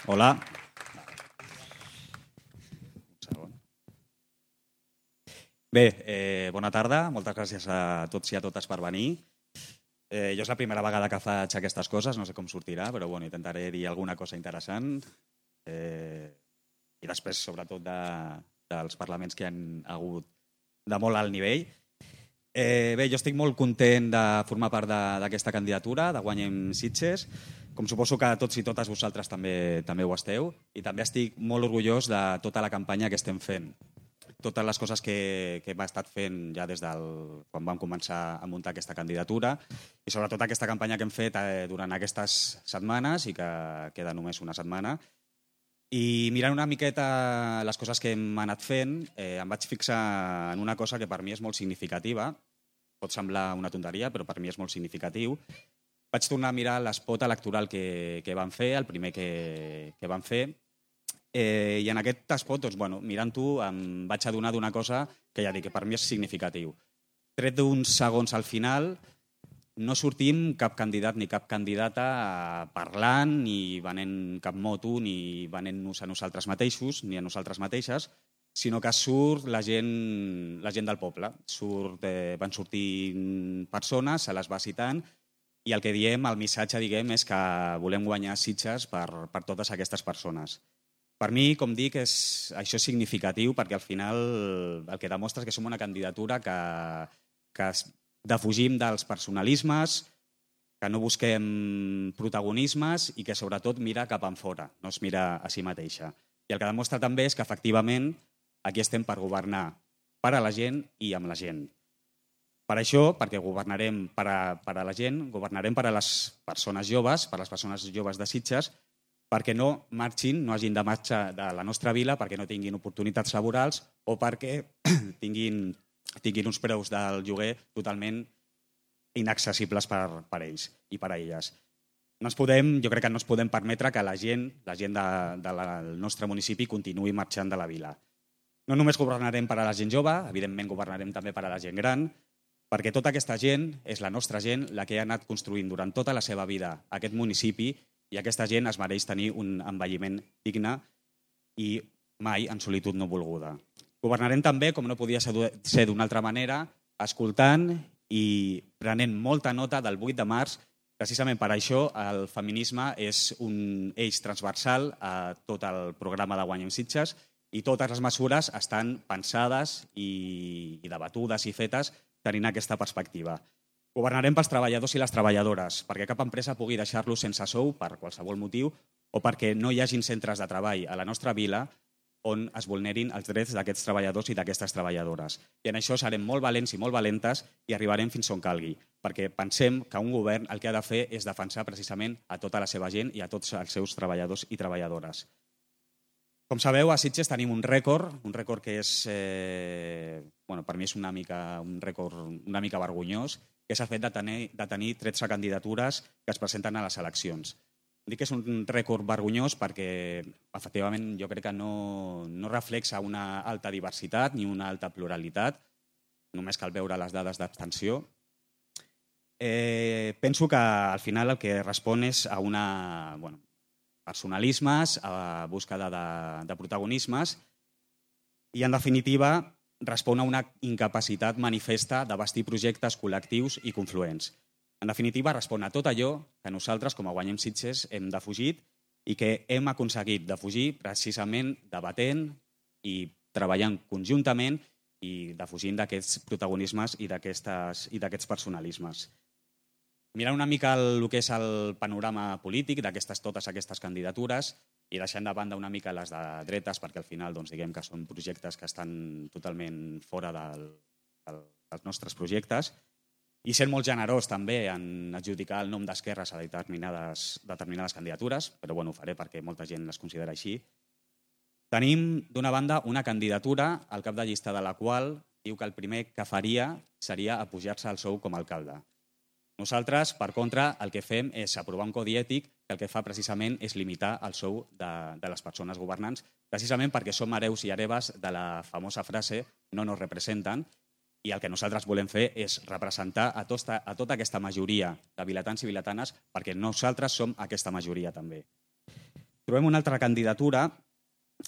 Hola. Bé, eh, bona tarda. Moltes gràcies a tots i a totes per venir. Eh, jo és la primera vegada que faig aquestes coses, no sé com sortirà, però bueno, intentaré dir alguna cosa interessant. Eh, I després, sobretot, de, dels parlaments que hi han hagut de molt alt nivell. Eh, bé, jo estic molt content de formar part d'aquesta candidatura, de Guanyem Sitges, com suposo que tots i totes vosaltres també, també ho esteu, i també estic molt orgullós de tota la campanya que estem fent. totes les coses que, que hem estat fent ja des del, quan vam començar a muntar aquesta candidatura i sobretot aquesta campanya que hem fet eh, durant aquestes setmanes i que queda només una setmana. I mirant una miqueta les coses que hem anat fent, eh, em vaig fixar en una cosa que per mi és molt significativa. Pot semblar una tonteria, però per mi és molt significatiu. Vaig tornar a mirar l'espot electoral que, que vam fer, el primer que, que vam fer, eh, i en aquest espot, doncs, bueno, mirant-ho, em vaig adonar d'una cosa que ja dic, que per mi és significatiu. Tret d'uns segons al final, no sortim cap candidat ni cap candidata parlant, ni venent cap moto, ni venent-nos a nosaltres mateixos, ni a nosaltres mateixes, sinó que surt la gent, la gent del poble. Surt, eh, van sortir persones, se les va citant, i el que diem, el missatge, diguem, és que volem guanyar Sitges per, per totes aquestes persones. Per mi, com dic, és, això és significatiu perquè al final el que demostra és que som una candidatura que, que defugim dels personalismes, que no busquem protagonismes i que sobretot mira cap enfora, no es mira a si mateixa. I el que demostra també és que efectivament aquí estem per governar per a la gent i amb la gent. Per això, perquè governarem per a, per a la gent, governarem per a les persones joves, per a les persones joves de Sitges, perquè no marxin, no hagin de marxar de la nostra vila, perquè no tinguin oportunitats laborals o perquè tinguin, tinguin uns preus del lloguer totalment inaccessibles per, per ells i per a elles. No ens podem, jo crec que no ens podem permetre que la gent, la gent de, de la, del nostre municipi continuï marxant de la vila. No només governarem per a la gent jove, evidentment governarem també per a la gent gran, perquè tota aquesta gent és la nostra gent, la que ha anat construint durant tota la seva vida aquest municipi, i aquesta gent es mereix tenir un envelliment digne i mai en solitud no volguda. Governarem també, com no podia ser d'una altra manera, escoltant i prenent molta nota del vuit de març. Precisament per això el feminisme és un eix transversal a tot el programa de Guanyem Sitges i totes les mesures estan pensades i, i debatudes i fetes tenint aquesta perspectiva. Governarem pels treballadors i les treballadores, perquè cap empresa pugui deixar-los sense sou per qualsevol motiu o perquè no hi hagin centres de treball a la nostra vila on es vulnerin els drets d'aquests treballadors i d'aquestes treballadores. I en això serem molt valents i molt valentes i arribarem fins on calgui, perquè pensem que un govern el que ha de fer és defensar precisament a tota la seva gent i a tots els seus treballadors i treballadores. Com sabeu, a Sitges tenim un rècord, un rècord que és, eh, bueno, per mi és una mica, un rècord una mica vergonyós, que és el fet de tenir, de tenir tretze candidatures que es presenten a les eleccions. Dic que és un rècord vergonyós perquè, efectivament, jo crec que no, no reflexa una alta diversitat ni una alta pluralitat, només cal veure les dades d'abstenció. Eh, penso que al final el que respon és a una, bueno, personalismes, a búsqueda de, de protagonismes i, en definitiva, respon a una incapacitat manifesta de bastir projectes col·lectius i confluents. En definitiva, respon a tot allò que nosaltres, com a Guanyem Sitges, hem defugit i que hem aconseguit defugir precisament debatent i treballant conjuntament i defugint d'aquests protagonismes i d'aquests personalismes. Mirant una mica el, el que és el panorama polític d'aquestes totes aquestes candidatures i deixant de banda una mica les de dretes, perquè al final doncs, diguem que són projectes que estan totalment fora del, del, dels nostres projectes, i sent molt generós també en adjudicar el nom d'esquerres a determinades, determinades candidatures, però bueno, ho faré perquè molta gent les considera així. Tenim, d'una banda, una candidatura al cap de llista de la qual diu que el primer que faria seria apujar-se al sou com a alcalde. Nosaltres, per contra, el que fem és aprovar un codi ètic que el que fa precisament és limitar el sou de, de les persones governants, precisament perquè som hereus i hereves de la famosa frase no nos representen, i el que nosaltres volem fer és representar a tota, a tota aquesta majoria de vilatans i vilatanes perquè nosaltres som aquesta majoria també. Trobem una altra candidatura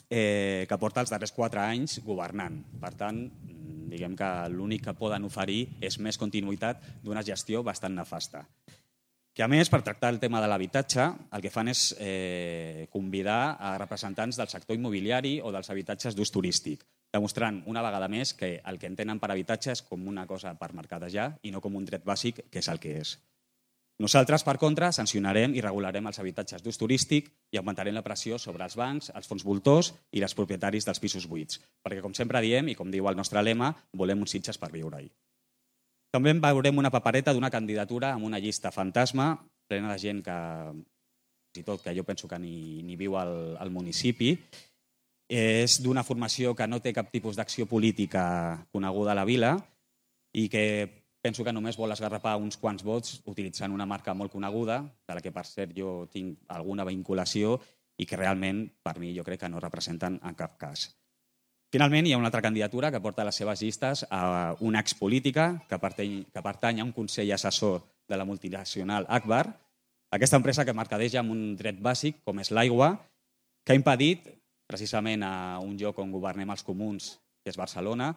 eh, que porta els darrers quatre anys governant. Per tant, diguem que l'únic que poden oferir és més continuïtat d'una gestió bastant nefasta. Que a més, per tractar el tema de l'habitatge, el que fan és eh, convidar a representants del sector immobiliari o dels habitatges d'ús turístic, demostrant una vegada més que el que entenen per habitatge és com una cosa per mercadejar i no com un dret bàsic, que és el que és. Nosaltres, per contra, sancionarem i regularem els habitatges d'ús turístic i augmentarem la pressió sobre els bancs, els fons voltors i els propietaris dels pisos buits. Perquè, com sempre diem, i com diu el nostre lema, volem uns Sitges per viure-hi. També veurem una papereta d'una candidatura amb una llista fantasma, plena de gent que, fins i tot, que jo penso que ni, ni viu al, al municipi. És d'una formació que no té cap tipus d'acció política coneguda a la vila i que penso que només vol esgarrapar uns quants vots utilitzant una marca molt coneguda, de la que, per cert, jo tinc alguna vinculació i que realment, per mi, jo crec que no representen en cap cas. Finalment, hi ha una altra candidatura que porta a les seves llistes a una expolítica que pertany, que pertany a un consell assessor de la multinacional Agbar, aquesta empresa que mercadeja amb un dret bàsic, com és l'aigua, que ha impedit, precisament a un lloc on governem els comuns, que és Barcelona,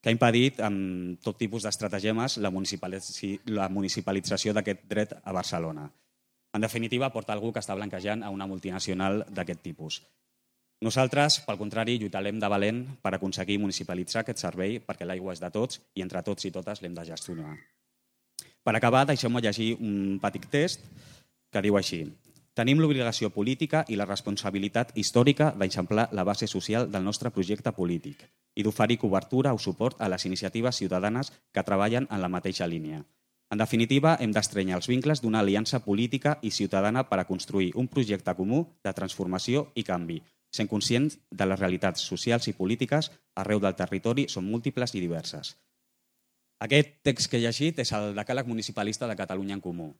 que ha impedit amb tot tipus d'estratagemes la municipalització d'aquest dret a Barcelona. En definitiva, porta algú que està blanquejant a una multinacional d'aquest tipus. Nosaltres, pel contrari, lluitarem de valent per aconseguir municipalitzar aquest servei perquè l'aigua és de tots i entre tots i totes l'hem de gestionar. Per acabar, deixeu-me llegir un petit text que diu així: tenim l'obligació política i la responsabilitat històrica d'eixamplar la base social del nostre projecte polític i d'oferir cobertura o suport a les iniciatives ciutadanes que treballen en la mateixa línia. En definitiva, hem d'estrenyar els vincles d'una aliança política i ciutadana per a construir un projecte comú de transformació i canvi, sent conscients de les realitats socials i polítiques arreu del territori són múltiples i diverses. Aquest text que he llegit és el decàleg municipalista de Catalunya en Comú.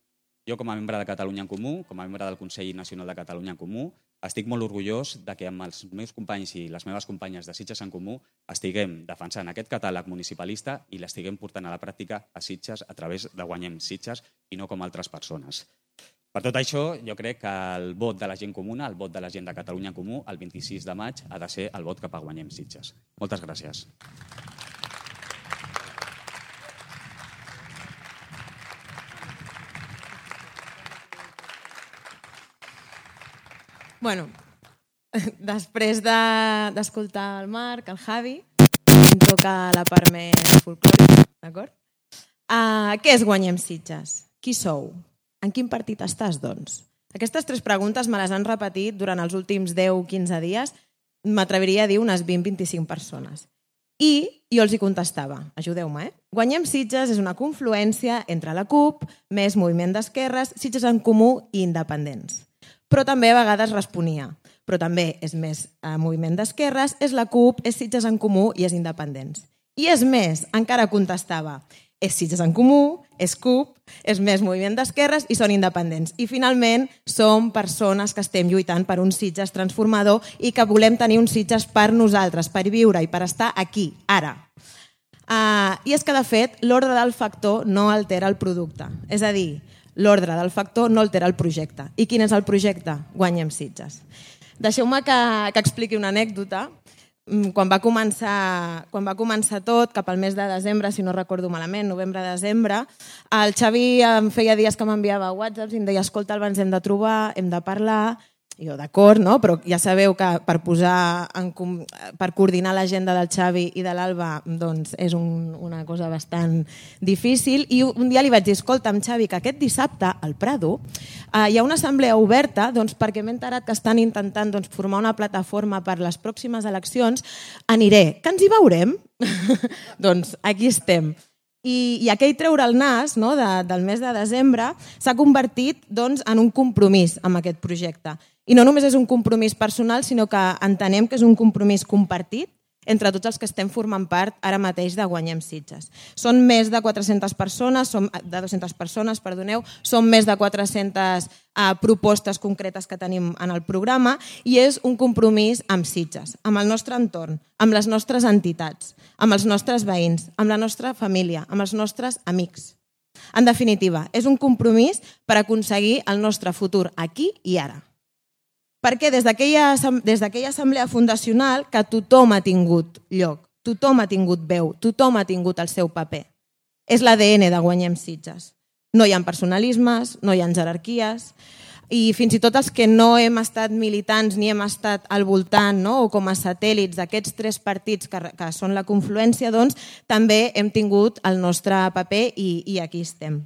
Jo, com a membre de Catalunya en Comú, com a membre del Consell Nacional de Catalunya en Comú, estic molt orgullós de que amb els meus companys i les meves companyes de Sitges en Comú estiguem defensant aquest catàleg municipalista i l'estiguem portant a la pràctica a Sitges a través de Guanyem Sitges i no com altres persones. Per tot això, jo crec que el vot de la gent comuna, el vot de la gent de Catalunya en Comú, el vint-i-sis de maig, ha de ser el vot cap a Guanyem Sitges. Moltes gràcies. Bueno, després d'escoltar de, el Marc, el Javi, em toca la part més folclòrica, d'acord? Uh, què és Guanyem Sitges? Qui sou? En quin partit estàs, doncs? Aquestes tres preguntes me les han repetit durant els últims deu o quinze dies, m'atreviria a dir unes vint o vint-i-cinc persones. I jo els hi contestava, ajudeu-me, eh? Guanyem Sitges és una confluència entre la CUP, més Moviment d'Esquerres, Sitges en Comú i Independents. Però també a vegades responia. Però també és més eh, Moviment d'Esquerres, és la CUP, és Sitges en Comú i és Independents. I és més, encara contestava, és Sitges en Comú, és CUP, és més Moviment d'Esquerres i són independents. I finalment som persones que estem lluitant per un Sitges transformador i que volem tenir un Sitges per nosaltres, per viure i per estar aquí, ara. Uh, I és que, de fet, l'ordre del factor no altera el producte. És a dir, l'ordre del factor no altera el projecte. I quin és el projecte? Guanyem Sitges. Deixeu-me que, que expliqui una anècdota. Quan va, començar, quan va començar tot, cap al mes de desembre, si no recordo malament, novembre-desembre, el Xavi em feia dies que m'enviava whatsapps i em deia, escolta, ens hem de trobar, hem de parlar. I jo, d'acord, no? Però ja sabeu que per posar en, per coordinar l'agenda del Xavi i de l'Alba doncs és un, una cosa bastant difícil. I un dia li vaig dir, escolta'm, Xavi, que aquest dissabte al Prado eh, hi ha una assemblea oberta doncs, perquè m'he enterat que estan intentant doncs, formar una plataforma per les pròximes eleccions. Aniré, que ens hi veurem? Doncs aquí estem. I, i aquell treure el nas, no, de, del mes de desembre s'ha convertit doncs, en un compromís amb aquest projecte. I no només és un compromís personal, sinó que entenem que és un compromís compartit entre tots els que estem formant part ara mateix de Guanyem Sitges. Són més de quatre-centes persones, som, de dues-centes persones, perdoneu, són més de quatre-centes uh, propostes concretes que tenim en el programa i és un compromís amb Sitges, amb el nostre entorn, amb les nostres entitats, amb els nostres veïns, amb la nostra família, amb els nostres amics. En definitiva, és un compromís per aconseguir el nostre futur aquí i ara. Perquè des d'aquella des d'aquella assemblea fundacional que tothom ha tingut lloc, tothom ha tingut veu, tothom ha tingut el seu paper. És l'A D N de Guanyem Sitges. No hi ha personalismes, no hi ha jerarquies i fins i tot els que no hem estat militants ni hem estat al voltant no? o com a satèl·lits d'aquests tres partits que, que són la confluència, doncs també hem tingut el nostre paper i, i aquí estem.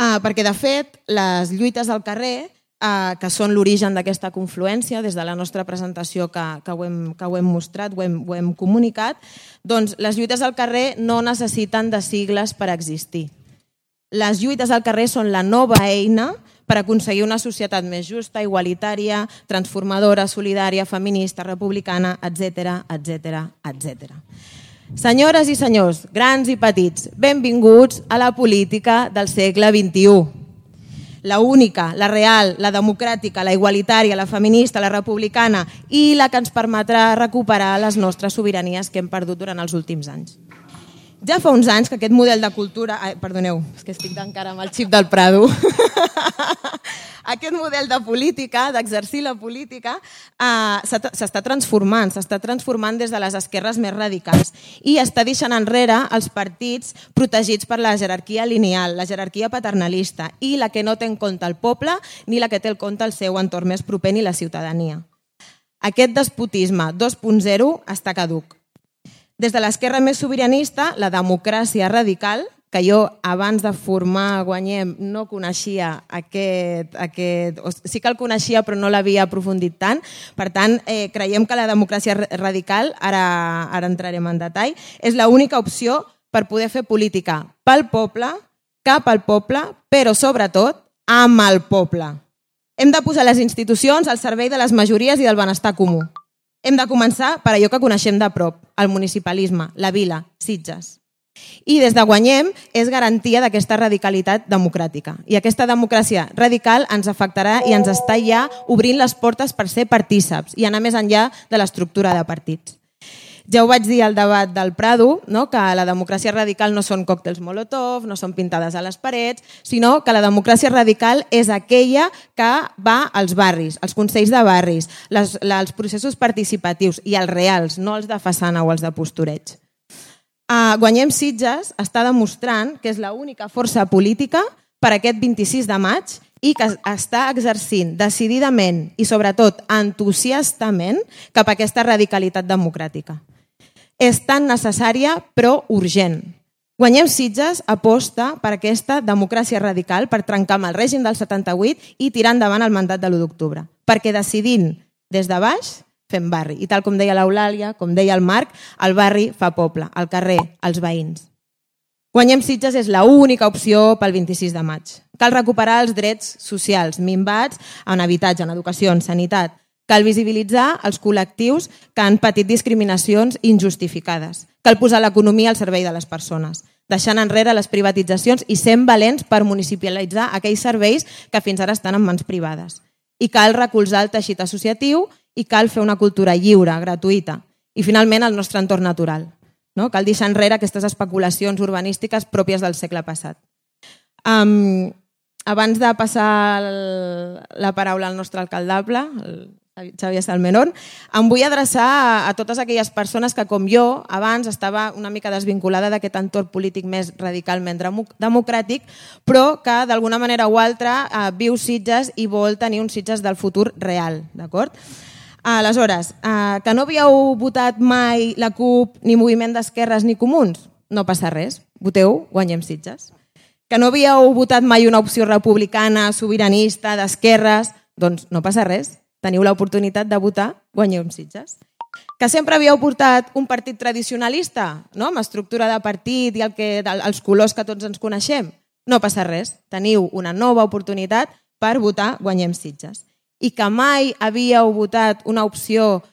Uh, perquè, de fet, les lluites al carrer, uh, que són l'origen d'aquesta confluència, des de la nostra presentació que, que, ho, hem, que ho hem mostrat, ho hem, ho hem comunicat, doncs les lluites al carrer no necessiten de sigles per existir. Les lluites al carrer són la nova eina per aconseguir una societat més justa, igualitària, transformadora, solidària, feminista, republicana, etcètera, etcètera, etcètera. Senyores i senyors, grans i petits, benvinguts a la política del segle vint-i-u. La única, la real, la democràtica, la igualitària, la feminista, la republicana i la que ens permetrà recuperar les nostres sobiranies que hem perdut durant els últims anys. Ja fa uns anys que aquest model de cultura... Ai, perdoneu, és que estic encara amb el xip del Prado. Aquest model de política, d'exercir la política, eh, s'està transformant, s'està transformant des de les esquerres més radicals i està deixant enrere els partits protegits per la jerarquia lineal, la jerarquia paternalista i la que no té en compte el poble ni la que té en compte el seu entorn més proper ni la ciutadania. Aquest despotisme dos punt zero està caduc. Des de l'esquerra més sobiranista, la democràcia radical, que jo abans de formar Guanyem no coneixia aquest... aquest sí que el coneixia però no l'havia aprofundit tant. Per tant, eh, creiem que la democràcia radical, ara, ara entrarem en detall, és l'única opció per poder fer política pel poble, cap al poble, però sobretot amb el poble. Hem de posar les institucions al servei de les majories i del benestar comú. Hem de començar per allò que coneixem de prop, el municipalisme, la vila, Sitges. I des de Guanyem és garantia d'aquesta radicalitat democràtica. I aquesta democràcia radical ens afectarà i ens està ja obrint les portes per ser partíceps i anar més enllà de l'estructura de partits. Ja ho vaig dir al debat del Prado, no? Que la democràcia radical no són còctels Molotov, no són pintades a les parets, sinó que la democràcia radical és aquella que va als barris, als consells de barris, les, els processos participatius i els reals, no els de façana o els de postureig. Uh, Guanyem Sitges està demostrant que és l'única força política per aquest vint-i-sis de maig i que està exercint decididament i sobretot entusiastament cap a aquesta radicalitat democràtica. És tan necessària però urgent. Guanyem Sitges aposta per aquesta democràcia radical per trencar amb el règim del setanta-vuit i tirar endavant el mandat de l'u d'octubre. Perquè decidint des de baix fem barri. I tal com deia l'Eulàlia, com deia el Marc, el barri fa poble, el carrer, els veïns. Guanyem Sitges és l'única opció pel vint-i-sis de maig. Cal recuperar els drets socials minvats en habitatge, en educació, en sanitat. Cal visibilitzar els col·lectius que han patit discriminacions injustificades. Cal posar l'economia al servei de les persones, deixant enrere les privatitzacions i sent valents per municipalitzar aquells serveis que fins ara estan en mans privades. I cal recolzar el teixit associatiu i cal fer una cultura lliure, gratuïta. I finalment el nostre entorn natural. No? Cal deixar enrere aquestes especulacions urbanístiques pròpies del segle passat. Um, abans de passar el, la paraula al nostre alcaldable, el Xavier Salmerón, em vull adreçar a, a totes aquelles persones que, com jo, abans estava una mica desvinculada d'aquest entorn polític més radicalment democràtic, però que d'alguna manera o altra eh, viu Sitges i vol tenir un Sitges del futur real, d'acord? Aleshores, eh, que no havíeu votat mai la CUP, ni Moviment d'Esquerres, ni Comuns? No passa res, voteu Guanyem Sitges. Que no havíeu votat mai una opció republicana, sobiranista, d'esquerres? Doncs no passa res, teniu l'oportunitat de votar Guanyem Sitges. Que sempre havíeu portat un partit tradicionalista, no? Amb estructura de partit i el que, els colors que tots ens coneixem? No passa res, teniu una nova oportunitat per votar Guanyem Sitges. I que mai havíeu votat una opció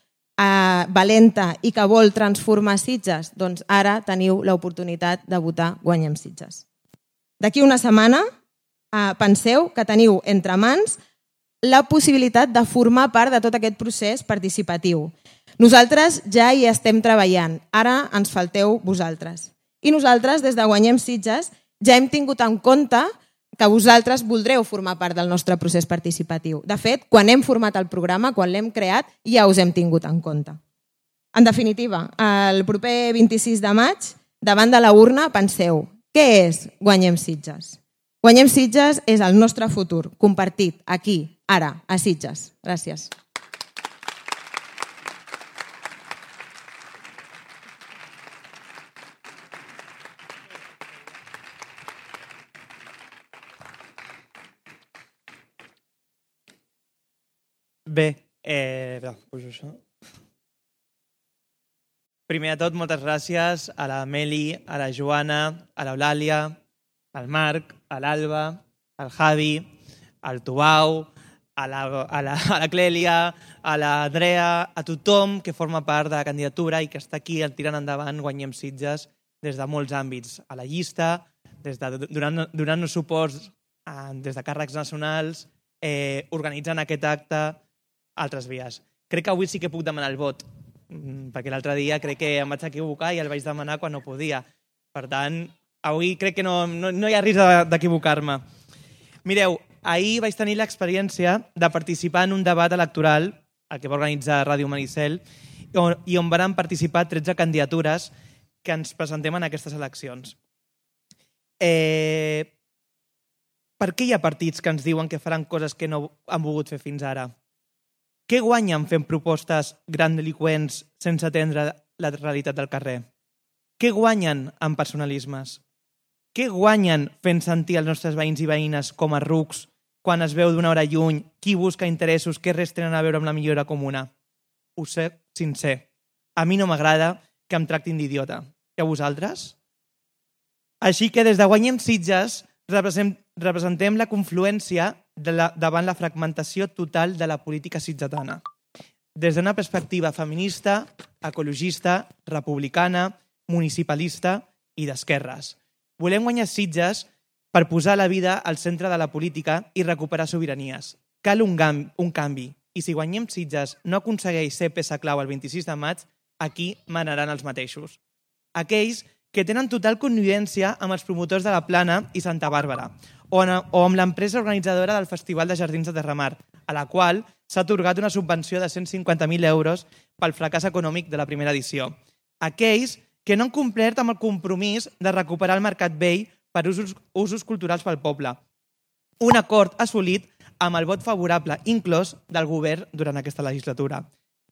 eh, valenta i que vol transformar Sitges, doncs ara teniu l'oportunitat de votar Guanyem Sitges. D'aquí una setmana eh, penseu que teniu entre mans la possibilitat de formar part de tot aquest procés participatiu. Nosaltres ja hi estem treballant, ara ens falteu vosaltres. I nosaltres, des de Guanyem Sitges, ja hem tingut en compte que vosaltres voldreu formar part del nostre procés participatiu. De fet, quan hem format el programa, quan l'hem creat, ja us hem tingut en compte. En definitiva, el proper vint-i-sis de maig, davant de la urna, penseu, què és Guanyem Sitges? Guanyem Sitges és el nostre futur, compartit, aquí, ara, a Sitges. Gràcies. Bé, eh, pujo això. Primer de tot, moltes gràcies a la Meli, a la Joana, a l'Eulàlia, al Marc, a l'Alba, al Javi, al Tubau, a la, a la, a la Clèlia, a l'Andrea, a tothom que forma part de la candidatura i que està aquí tirant endavant Guanyem Sitges des de molts àmbits. A la llista, des de, donant, donant-nos suports a, des de càrrecs nacionals, eh, organitzant aquest acte, altres vies. Crec que avui sí que puc demanar el vot, perquè l'altre dia crec que em vaig equivocar i el vaig demanar quan no podia. Per tant, avui crec que no, no, no hi ha risc d'equivocar-me. Mireu, ahir vaig tenir l'experiència de participar en un debat electoral, el que va organitzar Ràdio Maricel, i on van participar tretze candidatures que ens presentem en aquestes eleccions. Eh, per què hi ha partits que ens diuen que faran coses que no han volgut fer fins ara? Què guanyen fent propostes grandiloqüents sense atendre la realitat del carrer? Què guanyen amb personalismes? Què guanyen fent sentir els nostres veïns i veïnes com a rucs quan es veu d'una hora lluny qui busca interessos que res tenen a veure amb la millora comuna? Ho sé sincer. A mi no m'agrada que em tractin d'idiota. I a vosaltres? Així que des de Guanyem Sitges representem la confluència de la, davant la fragmentació total de la política sitgetana. Des d'una perspectiva feminista, ecologista, republicana, municipalista i d'esquerres. Volem guanyar Sitges per posar la vida al centre de la política i recuperar sobiranies. Cal un, gam, un canvi, i si Guanyem Sitges no aconsegueix ser peça clau el vint-i-sis de maig, aquí manaran els mateixos. Aquells que tenen total connivència amb els promotors de la Plana i Santa Bàrbara, o amb l'empresa organitzadora del Festival de Jardins de Terramar, a la qual s'ha atorgat una subvenció de cent cinquanta mil euros pel fracàs econòmic de la primera edició. Aquells que no han complert amb el compromís de recuperar el mercat vell per usos, usos culturals pel poble. Un acord assolit amb el vot favorable inclòs del govern durant aquesta legislatura.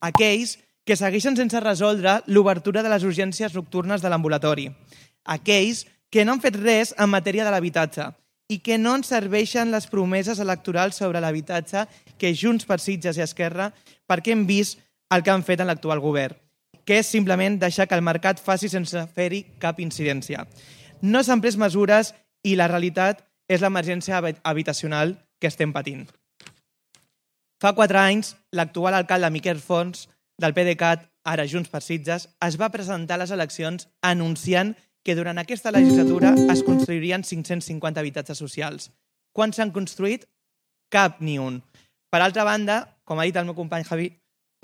Aquells que segueixen sense resoldre l'obertura de les urgències nocturnes de l'ambulatori. Aquells que no han fet res en matèria de l'habitatge i que no ens serveixen les promeses electorals sobre l'habitatge que Junts per Sitges i Esquerra perquè hem vist el que han fet en l'actual govern, que és simplement deixar que el mercat faci sense fer-hi cap incidència. No s'han pres mesures i la realitat és l'emergència habitacional que estem patint. Fa quatre anys, l'actual alcalde Miquel Fons, del PDeCAT, ara Junts per Sitges, es va presentar a les eleccions anunciant que durant aquesta legislatura es construirien cinc-cents cinquanta habitatges socials. Quants s'han construït? Cap ni un. Per altra banda, com ha dit el meu company Javi,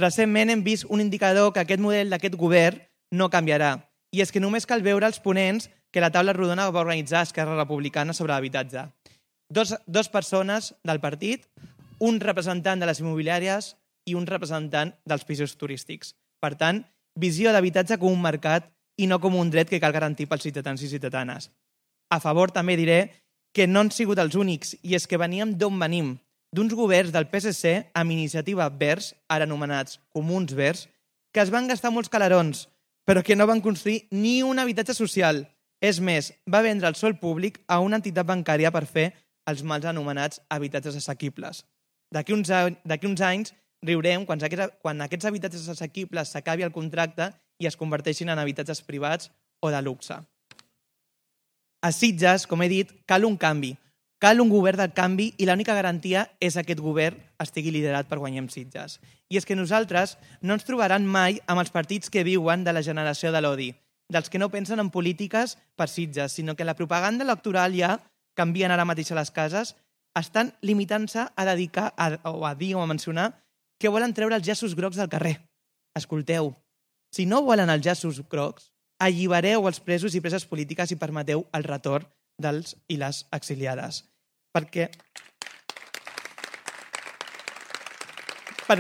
recentment hem vist un indicador que aquest model d'aquest govern no canviarà. I és que només cal veure els ponents que la taula rodona va organitzar Esquerra Republicana sobre l'habitatge. Dos, dos persones del partit, un representant de les immobiliàries i un representant dels pisos turístics. Per tant, visió d'habitatge com un mercat i no com un dret que cal garantir pels ciutadans i ciutadanes. A favor també diré que no han sigut els únics, i és que veníem d'on venim, d'uns governs del P S C amb iniciativa Verds, ara anomenats Comuns Verds, que es van gastar molts calarons, però que no van construir ni un habitatge social. És més, va vendre el sòl públic a una entitat bancària per fer els mals anomenats habitatges assequibles. D'aquí uns, uns anys riurem quan aquests, quan aquests habitatges assequibles s'acabi el contracte i es converteixin en habitatges privats o de luxe. A Sitges, com he dit, cal un canvi. Cal un govern del canvi i l'única garantia és que aquest govern estigui liderat per Guanyem Sitges. I és que nosaltres no ens trobaran mai amb els partits que viuen de la generació de l'odi, dels que no pensen en polítiques per Sitges, sinó que la propaganda electoral ja, canvien ara mateix a les cases, estan limitant-se a dedicar a, o a dir o a mencionar que volen treure els llaços grocs del carrer. Escolteu, si no volen els llaços grocs, allibereu els presos i preses polítiques i permeteu el retorn dels i les exiliades. Perquè, per,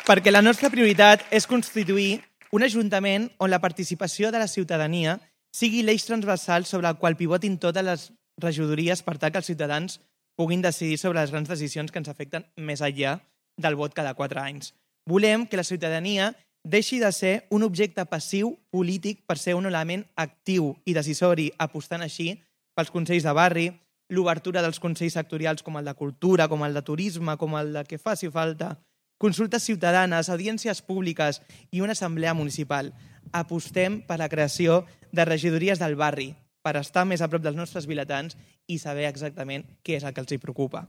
perquè la nostra prioritat és constituir un ajuntament on la participació de la ciutadania sigui l'eix transversal sobre el qual pivotin totes les regidories per tal que els ciutadans puguin decidir sobre les grans decisions que ens afecten més enllà del vot cada quatre anys. Volem que la ciutadania deixi de ser un objecte passiu polític per ser un element actiu i decisori, apostant així pels consells de barri, l'obertura dels consells sectorials com el de cultura, com el de turisme, com el de que faci falta, consultes ciutadanes, audiències públiques i una assemblea municipal. Apostem per la creació de regidories del barri, per estar més a prop dels nostres vilatans i saber exactament què és el que els hi preocupa.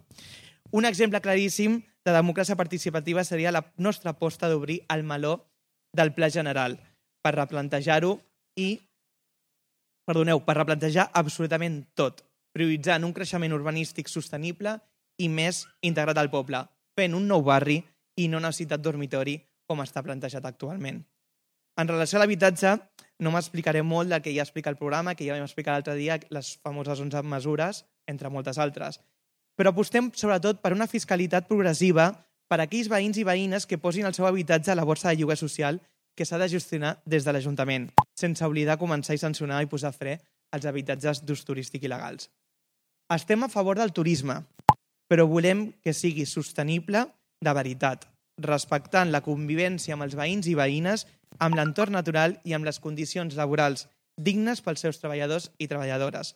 Un exemple claríssim de democràcia participativa seria la nostra aposta d'obrir el meló del Pla General per replantejar-ho i, perdoneu, per replantejar absolutament tot, prioritzant un creixement urbanístic sostenible i més integrat al poble, fent un nou barri i no una ciutat dormitori com està plantejat actualment. En relació a l'habitatge, no m'explicaré molt del que ja explica el programa, que ja vam explicar l'altre dia, les famoses onze mesures, entre moltes altres. Però apostem sobretot per una fiscalitat progressiva per a aquells veïns i veïnes que posin el seu habitatge a la borsa de lloguer social que s'ha de gestionar des de l'Ajuntament, sense oblidar començar i sancionar i posar fre als habitatges d'ús turístic il·legals. Estem a favor del turisme, però volem que sigui sostenible de veritat, respectant la convivència amb els veïns i veïnes, amb l'entorn natural i amb les condicions laborals dignes pels seus treballadors i treballadores.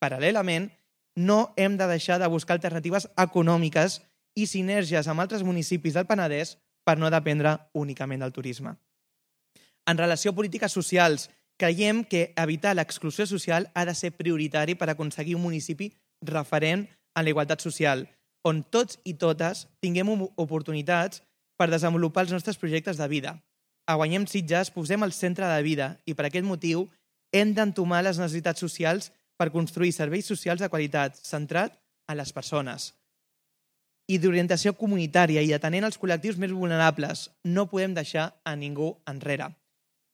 Paral·lelament, no hem de deixar de buscar alternatives econòmiques i sinergies amb altres municipis del Penedès per no dependre únicament del turisme. En relació a polítiques socials, creiem que evitar l'exclusió social ha de ser prioritari per aconseguir un municipi referent en la igualtat social, on tots i totes tinguem oportunitats per desenvolupar els nostres projectes de vida. A Guanyem Sitges posem al centre de la vida i per aquest motiu hem d'entomar les necessitats socials per construir serveis socials de qualitat, centrat en les persones. I d'orientació comunitària i atenent els col·lectius més vulnerables, no podem deixar a ningú enrere.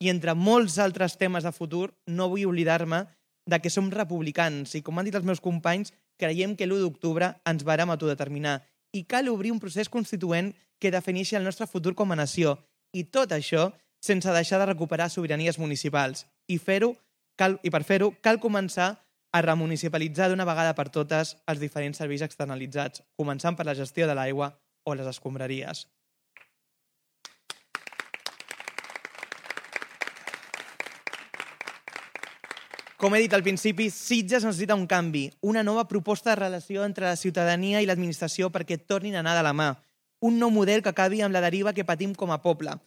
I entre molts altres temes de futur, no vull oblidar-me de que som republicans i, com han dit els meus companys, creiem que l'u d'octubre ens vàrem autodeterminar i cal obrir un procés constituent que defineixi el nostre futur com a nació i tot això sense deixar de recuperar sobiranies municipals. I, fer-ho, cal, i per fer-ho cal començar a remunicipalitzar d'una vegada per totes els diferents serveis externalitzats, començant per la gestió de l'aigua o les escombraries. Com he dit al principi, Sitges necessita un canvi, una nova proposta de relació entre la ciutadania i l'administració perquè tornin a anar de la mà. Un nou model que acabi amb la deriva que patim com a poble.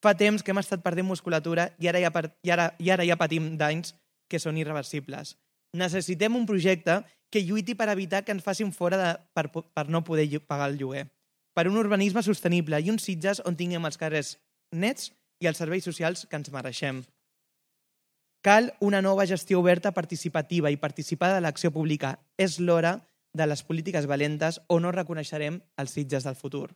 Fa temps que hem estat perdent musculatura i ara ja, i ara, i ara ja patim danys que són irreversibles. Necessitem un projecte que lluiti per evitar que ens facin fora de, per, per no poder pagar el lloguer. Per un urbanisme sostenible i un Sitges on tinguem els carrers nets i els serveis socials que ens mereixem. Cal una nova gestió oberta, participativa i participada de l'acció pública. És l'hora de les polítiques valentes o no reconeixerem els Sitges del futur.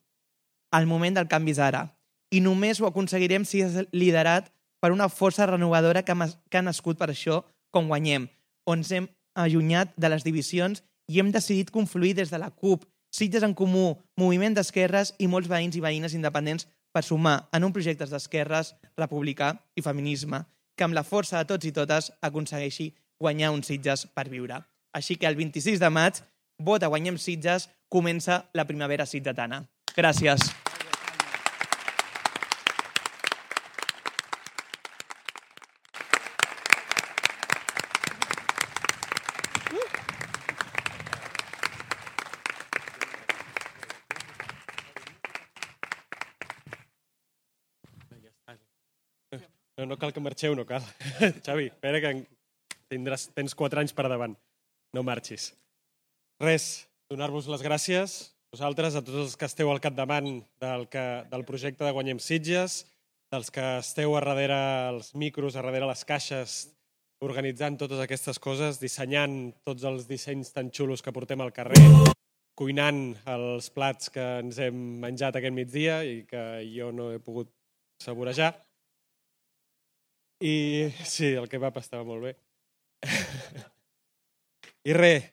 El moment del canvi és ara. I només ho aconseguirem si és liderat per una força renovadora que ha nascut per això, com Guanyem, on ens hem allunyat de les divisions i hem decidit confluir des de la CUP, Sitges en Comú, Moviment d'Esquerres i molts veïns i veïnes independents per sumar en un projecte d'esquerres, republicà i feminisme, que amb la força de tots i totes aconsegueixi guanyar un Sitges per viure. Així que el vint-i-sis de maig, vota Guanyem Sitges, comença la primavera sitgetana. Gràcies. No, no cal que marxeu, no cal. Xavi, espera que tindràs, tens quatre anys per davant. No marxis. Res, donar-vos les gràcies a vosaltres, a tots els que esteu al capdavant del, que, del projecte de Guanyem Sitges, dels que esteu a darrere els micros, a darrere les caixes, organitzant totes aquestes coses, dissenyant tots els dissenys tan xulos que portem al carrer, cuinant els plats que ens hem menjat aquest migdia i que jo no he pogut saborejar. I sí, el kebab estava molt bé. I res,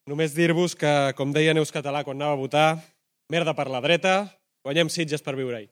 només dir-vos que, com deia Neus Català quan anava a votar, merda per la dreta, Guanyem Sitges per viure-hi.